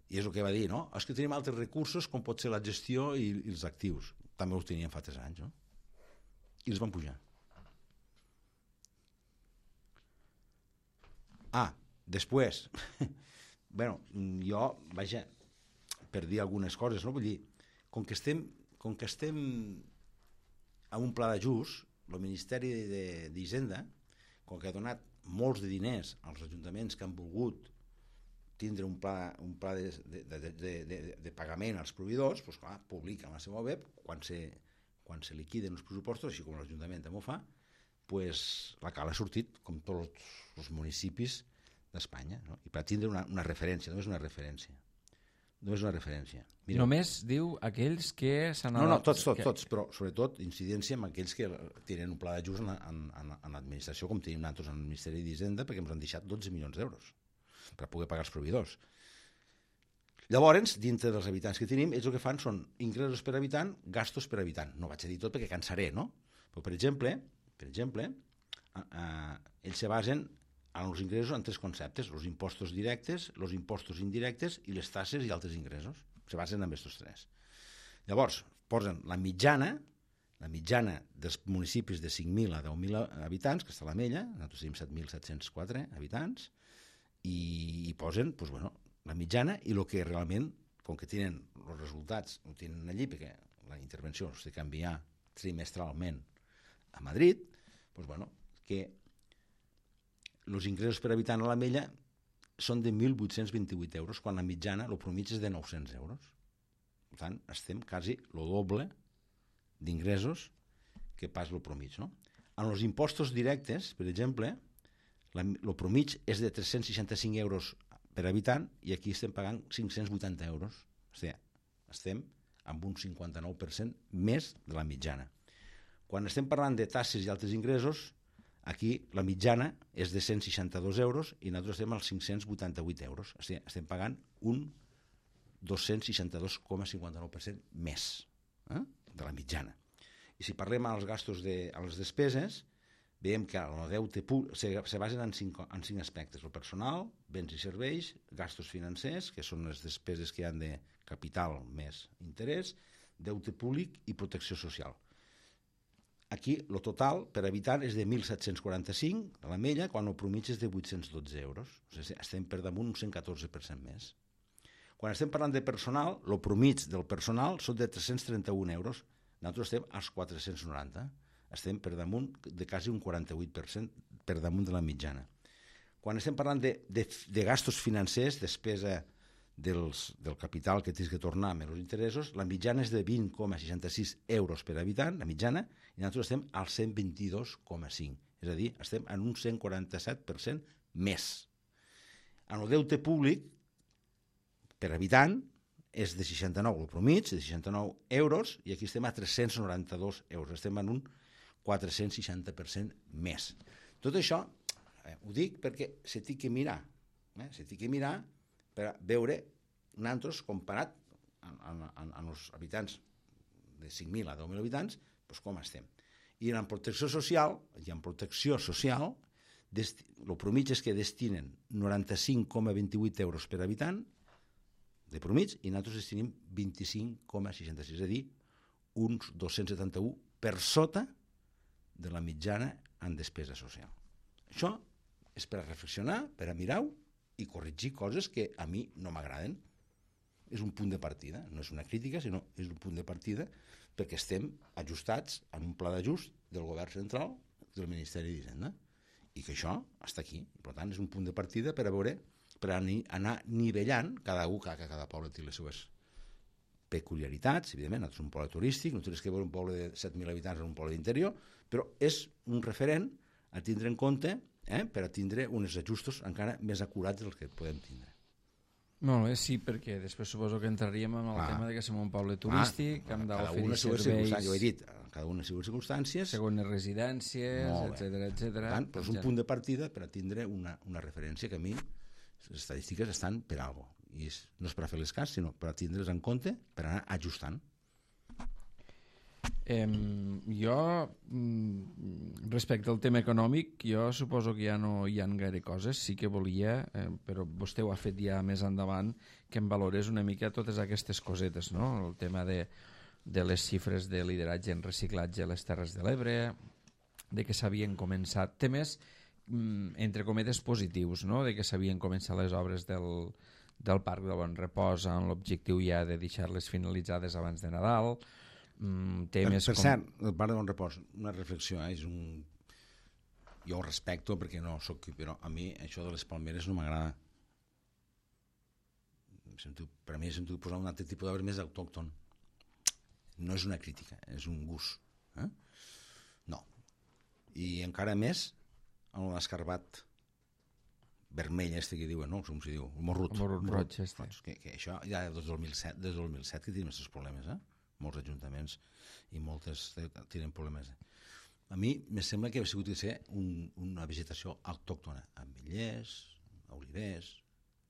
I és el que va dir, no? És que tenim altres recursos com pot ser la gestió i, i els actius. També els teníem fa tres anys, no? I els van pujar. Ah, després, bueno, jo, vaja, per dir algunes coses, no? Vull dir, com que estem, com que estem en un pla d'ajust, el Ministeri d'Hisenda, com que ha donat molts de diners als ajuntaments que han volgut tindre un pla, un pla de, de, de, de, de, de pagament als proveïdors, doncs clar, publica en la seva web, quan se, quan se liquiden els pressupostos, així com l'Ajuntament també ho fa, pues, la Cala ha sortit, com tots els municipis d'Espanya, no? I per tindre una, una referència, només una referència. Només una referència. Mireu. Només diu aquells que s'han... No, no, tots, tots, que... tots, però sobretot incidència amb aquells que tenen un pla d'ajust en, en, en, en l'administració, com tenim nosaltres en el Ministeri d'Hisenda, perquè ens han deixat dotze milions d'euros per poder pagar els proveïdors. Llavors, dintre dels habitants que tenim, ells el que fan són ingressos per habitant, gastos per habitant. No vaig a dir tot perquè cansaré, no? Però, per exemple, per exemple eh, eh, ells se basen en els ingressos en tres conceptes: els impostos directes, els impostos indirectes i les taxes i altres ingressos. Se basen en aquests tres. Llavors, posen la mitjana, la mitjana dels municipis de cinc mil a deu mil habitants, que està a l'Ametlla, nosaltres tenim set mil set-cents quatre habitants, i, i posen doncs, bueno, la mitjana i el que realment, com que tenen els resultats, ho tenen allí, perquè la intervenció s'ha de canviar trimestralment a Madrid, doncs, bueno, que els ingressos per habitant a l'Ametlla són de mil vuit-cents vint-i-vuit euros, quan la mitjana, el promig és de nou-cents euros. Per tant, estem quasi el doble d'ingressos que pas el promig, no? En els impostos directes, per exemple, el promig és de tres-cents seixanta-cinc euros per habitant i aquí estem pagant cinc-cents vuitanta euros. O sigui, estem amb un cinquanta-nou per cent més de la mitjana. Quan estem parlant de taxes i altres ingressos, aquí la mitjana és de cent seixanta-dos euros i nosaltres estem als cinc-cents vuitanta-vuit euros. O sigui, estem pagant un dos-cents seixanta-dos coma cinquanta-nou per cent més eh, de la mitjana. I si parlem als gastos de a les despeses, veiem que el deute se, se basen en cinc, en cinc aspectes: el personal, béns i serveis, gastos financers, que són les despeses que hi ha de capital més interès, deute públic i protecció social. Aquí el total per habitant és de mil set-cents quaranta-cinc a l'Ametlla, quan el promig és de vuit-cents dotze euros. O sigui, estem per damunt un cent catorze per cent més. Quan estem parlant de personal, el promig del personal són de tres-cents trenta-un euros. Nosaltres estem als quatre-cents noranta. Estem per damunt de quasi un quaranta-vuit per cent per damunt de la mitjana. Quan estem parlant de, de, de gastos financers, despesa dels, del capital que tens que tornar amb els interessos, la mitjana és de vint coma seixanta-sis euros per habitant, la mitjana, i nosaltres estem al cent vint-i-dos coma cinc. És a dir, estem en un cent quaranta-set per cent més. En el deute públic, per habitant, és de seixanta-nou, el promig, de seixanta-nou euros, i aquí estem a tres-cents noranta-dos euros. Estem en un quatre-cents seixanta per cent més. Tot això eh, ho dic perquè se té que mirar, eh? se té que mirar per veure nosaltres comparat amb, amb, amb els habitants de cinc mil a deu mil habitants, doncs com estem. I en protecció social, i en protecció social, el promig és que destinen noranta-cinc coma vint-i-vuit euros per habitant de promig i nosaltres destinem vint-i-cinc coma seixanta-sis, és a dir, uns dos-cents setanta-u per sota de la mitjana en despesa social. Això és per a reflexionar, per a mirar-ho i corregir coses que a mi no m'agraden. És un punt de partida, no és una crítica, sinó és un punt de partida perquè estem ajustats en un pla d'ajust del govern central del Ministeri d'Hisenda i que això està aquí. Per tant, és un punt de partida per a veure, per anar nivellant, cada un, cada, cada poble té les seves peculiaritats, evidentment, nosaltres som un poble turístic, no tens que veure un poble de set mil habitants en un poble d'interior, però és un referent a tindre en compte eh, per a tindre uns ajustos encara més acurats dels que podem tindre. Molt bé, sí, perquè després suposo que entraríem en el ah. tema de que som un poble turístic, ah, que hem d'oferir serveis... Jo he dit, cada una de les circumstàncies... Segones residències, etcètera, etcètera. Però és un punt de partida per a tindre una, una referència que a mi les estadístiques estan per alguna cosa. I és, no és per a fer les cas, sinó per a tindre's en compte, per anar ajustant. Eh, jo, respecte al tema econòmic, jo suposo que ja no hi ha gaire coses. Sí que volia, eh, però vostè ho ha fet ja més endavant, que em valorés una mica totes aquestes cosetes, no? El tema de, de les xifres de lideratge en reciclatge a les Terres de l'Ebre, de que s'havien començat temes, entre cometes, positius, no? De que s'havien començat les obres del, del Parc del Bon Repòs amb l'objectiu ja de deixar-les finalitzades abans de Nadal. Mm, temes per per com... cert, el Parc del Bon Repòs, una reflexió, eh? És un... jo ho respecto perquè no soc... però a mi això de les palmeres no m'agrada. Per a mi hem de posar un altre tipus d'arbre més autòcton. No és una crítica, és un gust. Eh? No. I encara més en l'escarbat vermell este que diuen, no? Com s'hi diu? El morrut. El morrut roig, este. Que, que això ja des del dos mil set, des del dos mil set que tenim aquests problemes, eh? Molts ajuntaments i moltes tenen problemes. A mi me sembla que ha sigut de ser un, una vegetació autòctona, ametllers, olivers,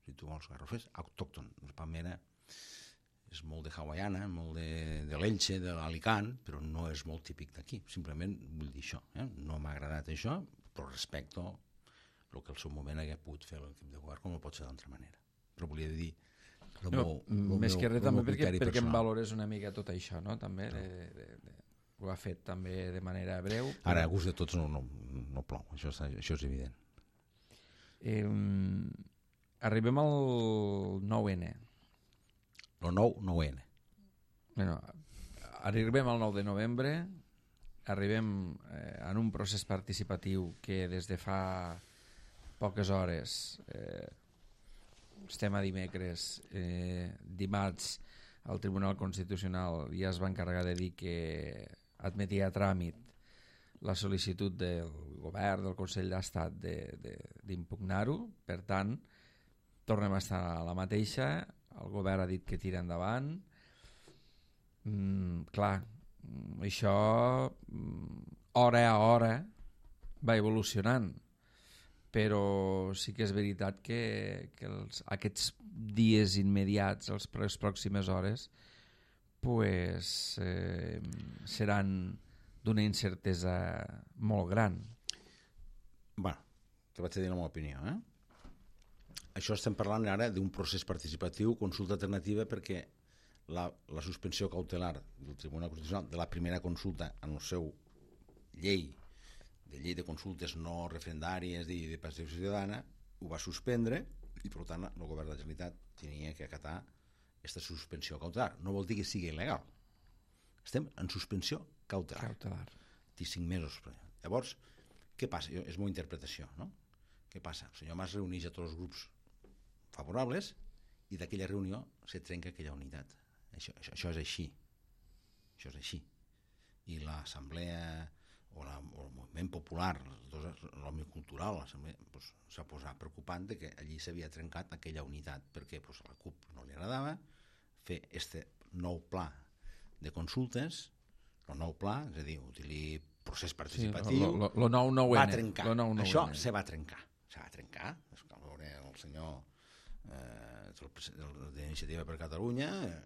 si tu vols garrofers, autòcton. La palmera és molt de hawaiana, molt de, de l'Elche, de l'Alicant, però no és molt típic d'aquí. Simplement vull dir això. Eh? No m'ha agradat això, però respecto el que al seu moment hagués pogut fer l'equip de govern, com no pot ser d'altra manera. Però volia dir... No, meu, més meu, que res també perquè, perquè em valores una mica tot això, no? També de, de, de, ho ha fet també de manera breu. Però... Ara, a gust de tots no, no, no plou, això, això és evident. Eh, arribem al nou ene. El nou, nou ene. Bueno, arribem al nou de novembre, arribem eh, en un procés participatiu que des de fa poques hores, eh, estem a dimecres, eh, dimarts el Tribunal Constitucional ja es va encarregar de dir que admetia a tràmit la sol·licitud del govern, del Consell d'Estat d'impugnar-ho. Per tant, tornem a estar a la mateixa. El govern ha dit que tira endavant. Mm, clar, això hora a hora va evolucionant, però sí que és veritat que, que els, aquests dies immediats, els, les pròximes hores, pues, eh, seran d'una incertesa molt gran. Bueno, te vaig a dir la meva opinió, eh? Això estem parlant ara d'un procés participatiu, consulta alternativa, perquè la, la suspensió cautelar del Tribunal Constitucional de la primera consulta en el seu llei, de llei de consultes no referendàries i de participació ciutadana, ho va suspendre i, per tant, el govern de la Generalitat tenia que acatar aquesta suspensió cautelar. No vol dir que sigui il·legal. Estem en suspensió cautelar. Cautelar. Té cinc mesos. Llavors, què passa? És una interpretació, no? Què passa? El senyor Mas reuneix a tots els grups favorables i d'aquella reunió se trenca aquella unitat. Això, això, això és així. Això és així. I l'assemblea o, la, o el moviment popular, l'òmnium cultural, doncs, s'ha posat preocupant de que allí s'havia trencat aquella unitat, perquè doncs, a la CUP no li agradava fer este nou pla de consultes, el nou pla, és a dir, utilitzar procés participatiu, sí, lo, lo, lo nou nou ene, va trencar. Lo nou nou això ene. se va trencar. Se va trencar. Cal veure el senyor eh, d'Iniciativa per Catalunya eh,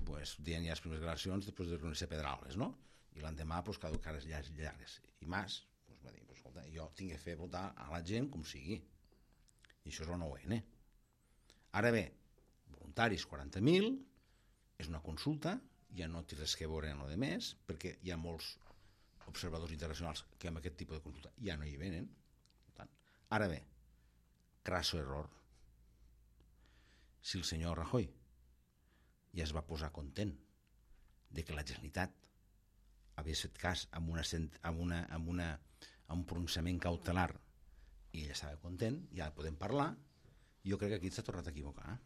pues, dient ja les primeres declaracions després de reunir-se Pedralbes, no? I l'endemà pues, caducades llargues. I Mas pues, va dir, pues, escolta, jo tinc que fer votar a la gent com sigui. I això és el nou ene. Ara bé, voluntaris quaranta mil, és una consulta, ja no té res que veure en el de més, perquè hi ha molts observadors internacionals que amb aquest tipus de consulta ja no hi venen. Ara bé, crasso error. Si el senyor Rajoy ja es va posar content de que la Generalitat hagués fet cas amb, una, amb, una, amb, una, amb un pronunciament cautelar i ell estava content, ja podem parlar, jo crec que aquí s'ha tornat a equivocar.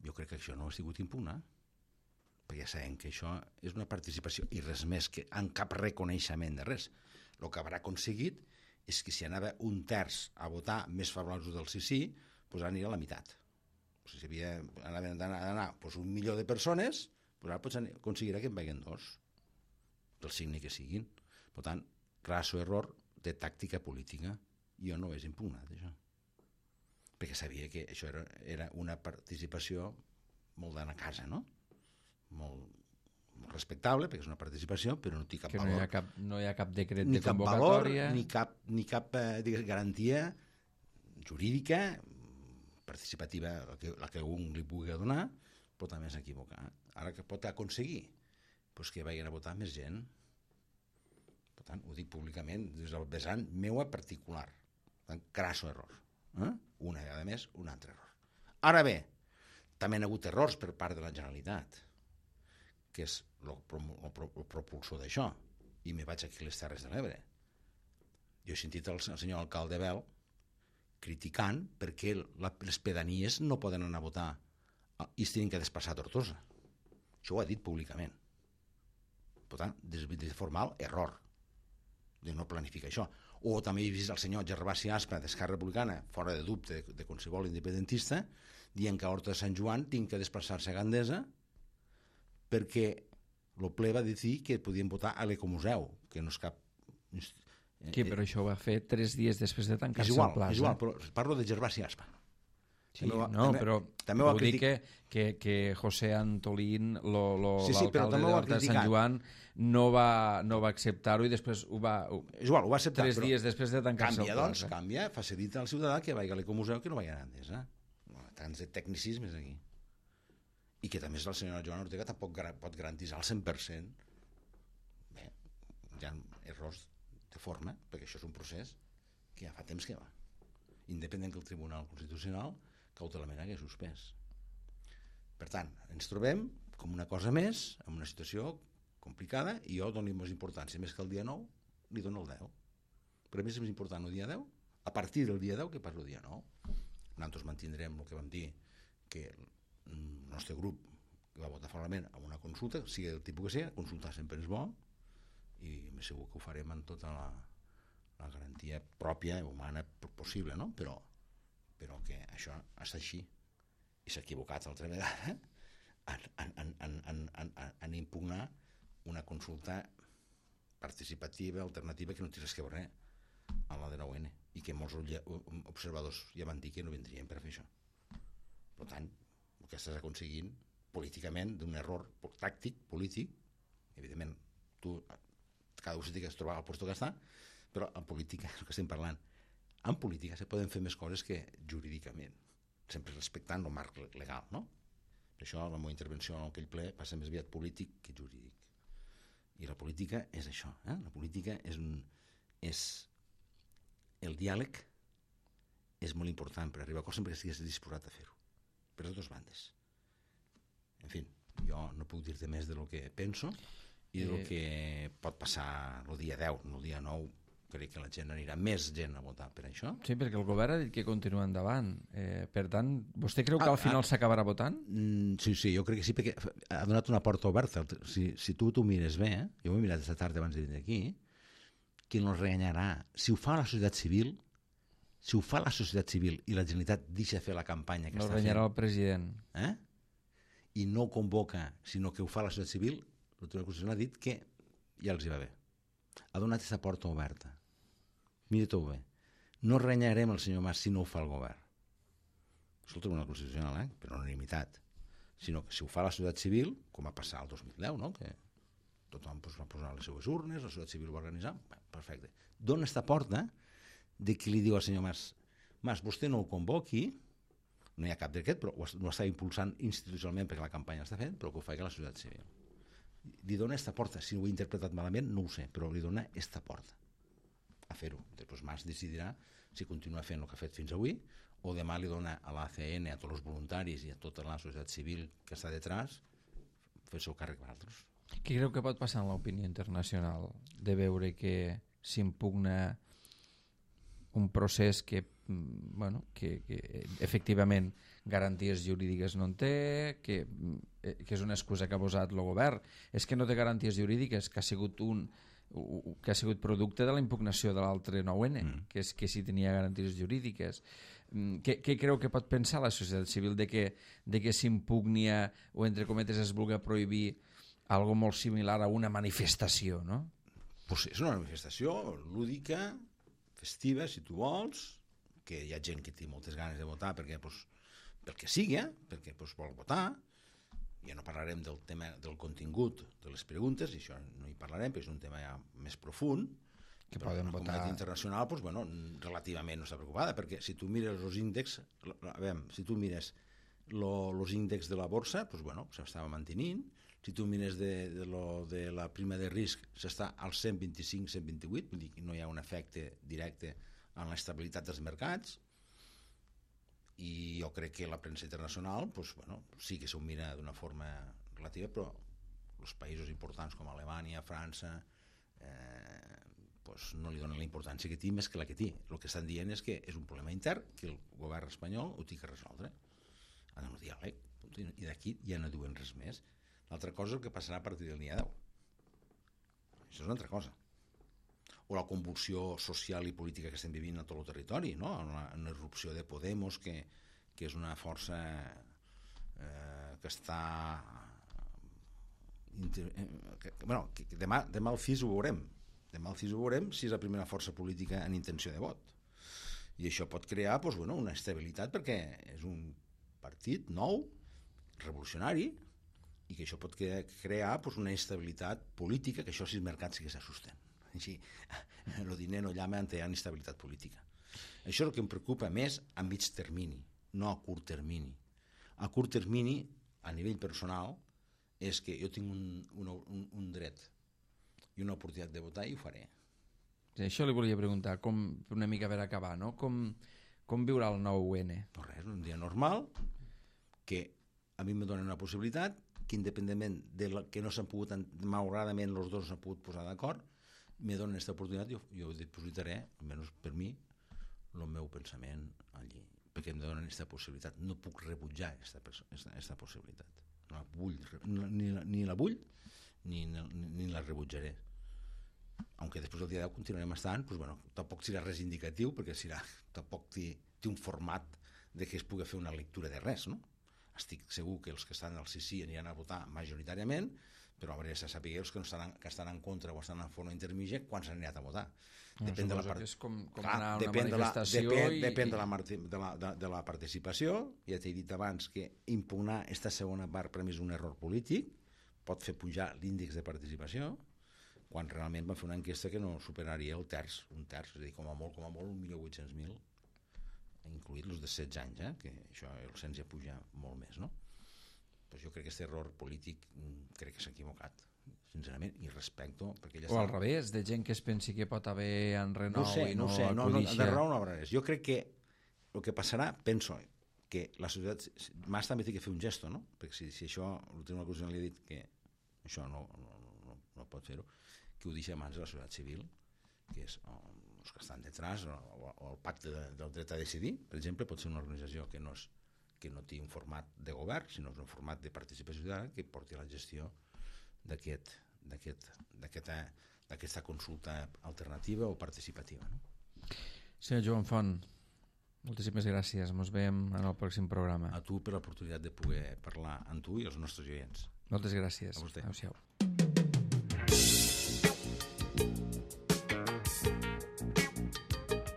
Jo crec que això no ha sigut impugnat, perquè ja sabem que això és una participació i res més, que en cap reconeixement de res. El que haurà aconseguit és que si anava un terç a votar més favorables del sí sí, doncs anirà a la meitat. Si havia d'anar doncs un milió de persones, doncs ara pots aconseguirà que en vagin dos, del signe que siguin. Per tant, crasso error de tàctica política. Jo no ho he impugnat, això. Perquè sabia que això era, era una participació molt d'anar a casa, no? Molt, molt respectable, perquè és una participació, però no té cap que valor. No hi ha cap, no hi ha cap decret ni de cap convocatòria. Valor, ni cap, ni cap eh, digues, garantia jurídica, participativa, la que, la que un li pugui donar, però també s'equivoca. Ara que pot aconseguir? Pues que vagin a votar més gent. Per tant, ho dic públicament, des del vessant meu particular. Per tant, crasso error. Eh? Una vegada més, un altre error. Ara bé, també hi ha hagut errors per part de la Generalitat, que és el, el, el propulsor d'això, i me vaig aquí a les Terres de l'Ebre. Jo he sentit el, el senyor alcalde Bel criticant perquè la, les pedanies no poden anar a votar i es tenen que desplaçar a Tortosa. Això ho ha dit públicament. Per tant, des de formal, error. de no planificar això. O també he vist el senyor Gervasi Aspa d'Esquerra Republicana, fora de dubte de, de qualsevol independentista, dient que a Horta de Sant Joan tinc que desplaçar-se a Gandesa perquè el ple va decidir que podien votar a l'Ecomuseu, que no és cap... Sí, però això ho va fer tres dies després de tancar-se igual, el plaç. És igual, però parlo de Gervasi Aspa. Sí, també, no, també, però també ho dic que, que, que José Antolín, lo, lo, sí, sí, l'alcalde d'Horta de Sant Joan, no va, no va acceptar-ho i després ho va... És igual, ho va acceptar, tres dies després de tancar-se el plaç. Canvia, doncs, canvia, facilita al ciutadà que vagi a l'Ecomuseu que no vagi a Gandesa. Tants de tecnicismes aquí. I que també el senyor Joan Ortega tampoc pot garantir al cent per cent. Bé, hi ha errors de forma, perquè això és un procés que ja fa temps que va. Independent que el Tribunal Constitucional cautelament hagués suspès. Per tant, ens trobem com una cosa més, en una situació complicada, i jo dono més importància, més que el dia nou, li dono el deu. Per a mi és més important el dia deu, a partir del dia deu que pas el dia nou. Nosaltres mantindrem el que vam dir, que el nostre grup va votar favorablement a una consulta, sigui del tipus que sigui, consultar sempre és bo, i m'he segur que ho farem amb tota la, la garantia pròpia, humana, possible, no? Però però que això està així i s'ha equivocat altra vegada en, en, en, en, en, en impugnar una consulta participativa, alternativa, que no té res que veure amb la de nou ene i que molts observadors ja van dir que no vindrien per fer això. Per tant, el que estàs aconseguint políticament d'un error tàctic, polític, evidentment tu, cada un s'ha de trobar al lloc que està, però en política és el que estem parlant. En política se poden fer més coses que jurídicament, sempre respectant el marc legal, no? Per això la meva intervenció en aquell ple passa més aviat polític que jurídic. I la política és això, eh? La política és, un, és el diàleg és molt important per arribar a coses sempre que estigués disposat a fer-ho, per les dues bandes. En fi, jo no puc dir-te més de lo que penso i del que pot passar el dia deu, el dia nou. Crec que la gent anirà més gent a votar per això. Sí, perquè el govern ha dit que continua endavant. Eh, per tant, vostè creu que al final ah, s'acabarà votant? Mm, sí, sí, jo crec que sí, perquè ha donat una porta oberta. Si, si tu t'ho mires bé, eh? Jo ho he mirat aquesta tarda abans de venir aquí, qui no renyarà? Si ho fa la societat civil, si ho fa la societat civil i la Generalitat deixa fer la campanya que no està fent... No renyarà el president. Eh? I no convoca, sinó que ho fa la societat civil, el Tribunal Constitucional ha dit que ja els hi va bé. Ha donat aquesta porta oberta. Mira-t'ho bé. No renyarem el senyor Mas si no ho fa el govern. És el Tribunal Constitucional, eh? Per unanimitat. Sinó que si ho fa la societat civil, com va passar el dos mil deu, no? Que tothom pues, va posar les seues urnes, la societat civil ho va organitzar, bé, perfecte. Dona esta porta de qui li diu al senyor Mas, Mas, vostè no ho convoqui, no hi ha cap d'aquest, però ho està impulsant institucionalment perquè la campanya està fent, però que ho faci la societat civil. Li dona esta porta, si ho he interpretat malament, no ho sé, però li dona esta porta a fer-ho. Després Mas decidirà si continua fent el que ha fet fins avui o demà li dona a l'A C N, a tots els voluntaris i a tota la societat civil que està detrás fer el seu càrrec per altres. Què creu que pot passar en l'opinió internacional de veure que s'impugna un procés que, bueno, que, que efectivament garanties jurídiques no en té, que, que és una excusa que ha posat el govern? És que no té garanties jurídiques, que ha sigut un que ha sigut producte de la impugnació de l'altre nou ene, mm. que és que si tenia garanties jurídiques. Què, què creu que pot pensar la societat civil de que, de que s'impugnia o entre cometes es vulgui prohibir algo molt similar a una manifestació, no? Pues és una manifestació lúdica, festiva, si tu vols, que hi ha gent que té moltes ganes de votar perquè, pues, pel que sigui, perquè pues, vol votar. Ja no parlarem del tema del contingut de les preguntes, i això no hi parlarem, perquè és un tema ja més profund, que poden la votar... comunitat internacional pues, bueno, relativament no està preocupada, perquè si tu mires els índexs, a veure, si tu mires els índexs de la borsa, pues, bueno, s'estava mantenint, si tu mires de, de, lo, de la prima de risc s'està al cent vint-i-cinc cent vint-i-vuit, vull dir que no hi ha un efecte directe en l'estabilitat dels mercats, i jo crec que la premsa internacional pues, bueno, sí que s'ho mira d'una forma relativa, però els països importants com Alemanya, França eh, pues, no li donen la importància que té més que la que té. El que estan dient és que és un problema intern que el govern espanyol ho té que resoldre en el diàleg, i d'aquí ja no diuen res més. L'altra cosa és el que passarà a partir del dia deu. Això és una altra cosa. o la convulsió social i política que estem vivint a tot el territori, no? Una, una irrupció de Podemos, que, que és una força eh, que està... Inter... Que, bueno, que demà, demà al C I S ho veurem. Demà al C I S ho veurem si és la primera força política en intenció de vot. I això pot crear doncs, bueno, una estabilitat, perquè és un partit nou, revolucionari, i que això pot crear doncs, una estabilitat política, que això sí els mercats sí que s'assusten. Així, el diner no llama ante la inestabilitat política. Això és el que em preocupa més a mig termini, no a curt termini. A curt termini, a nivell personal, és que jo tinc un, un, un, un dret i una oportunitat de votar i ho faré. Sí, això li volia preguntar, com una mica per acabar, no? Com, com viurà el nou U N? No res, un dia normal, que a mi me donen una possibilitat, que independentment de la, que no s'han pogut, malauradament els dos s'han pogut posar d'acord, me donen aquesta oportunitat, jo, jo dipositaré, almenys per mi, el meu pensament allí, perquè em donen aquesta possibilitat. No puc rebutjar aquesta possibilitat. No la vull, ni, la, ni la vull, ni, ni, ni la rebutjaré. Aunque després del dia deu continuarem estant, doncs, bueno, tampoc serà res indicatiu, perquè serà, tampoc té, té un format de que es pugui fer una lectura de res, no? Estic segur que els que estan al sí sí aniran a votar majoritàriament, però a veure, se sàpiga els que, no estan, que estan en contra o estan en forma intermitja quan s'han anat a votar. No, depèn de la part... és com, com Clar, anar a una depèn manifestació. De la, depèn, i... depèn de, la, de, la, de, de la participació. Ja t'he dit abans que impugnar aquesta segona part per mi és un error polític, pot fer pujar l'índex de participació, quan realment van fer una enquesta que no superaria el terç, un terç, és a dir, com a molt, com a molt, un milió vuit-cents mil, incluït els de setze anys, eh? Que això el cens ja puja molt més, no? Pues jo crec que aquest error polític crec que s'ha equivocat, sincerament, i respecto... Perquè ja o al revés, de gent que es pensi que pot haver en renou no sé, i no, no sé, no, no, acudixa... de raó no haurà res. Jo crec que el que passarà, penso, que la societat... Mas també té que fer un gesto, no? Perquè si, si això, el Tribunal Constitucional li ha dit que això no, no, no, no pot fer-ho, que ho deixa a mans de la societat civil, que és o, els que estan detrás, o, o el pacte de, del dret a decidir, per exemple, pot ser una organització que no és que no té un format de govern, sinó un format de participació ciutadana que porti la gestió d'aquest, d'aquest, d'aquesta, d'aquesta consulta alternativa o participativa. No? Senyor Joan Font, moltíssimes gràcies. Ens veiem en el pròxim programa. A tu per l'oportunitat de poder parlar amb tu i els nostres oients. Moltes gràcies. A vostè. Adéu-siau.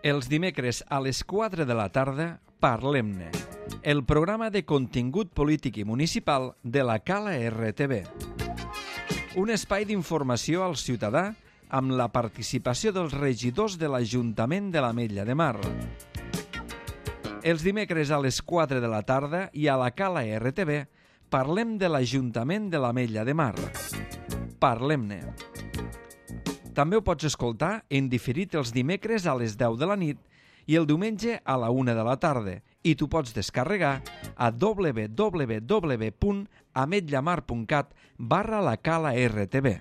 Els dimecres a les quatre de la tarda, Parlem-ne, el programa de contingut polític i municipal de la Cala R T V. Un espai d'informació al ciutadà amb la participació dels regidors de l'Ajuntament de l'Ametlla de Mar. Els dimecres a les quatre de la tarda i a la Cala R T V parlem de l'Ajuntament de l'Ametlla de Mar. Parlem-ne. També ho pots escoltar en diferit els dimecres a les deu de la nit i el diumenge a la una de la tarda, i tu pots descarregar a w w w punt ametlla mar punt cat barra la cala R T V.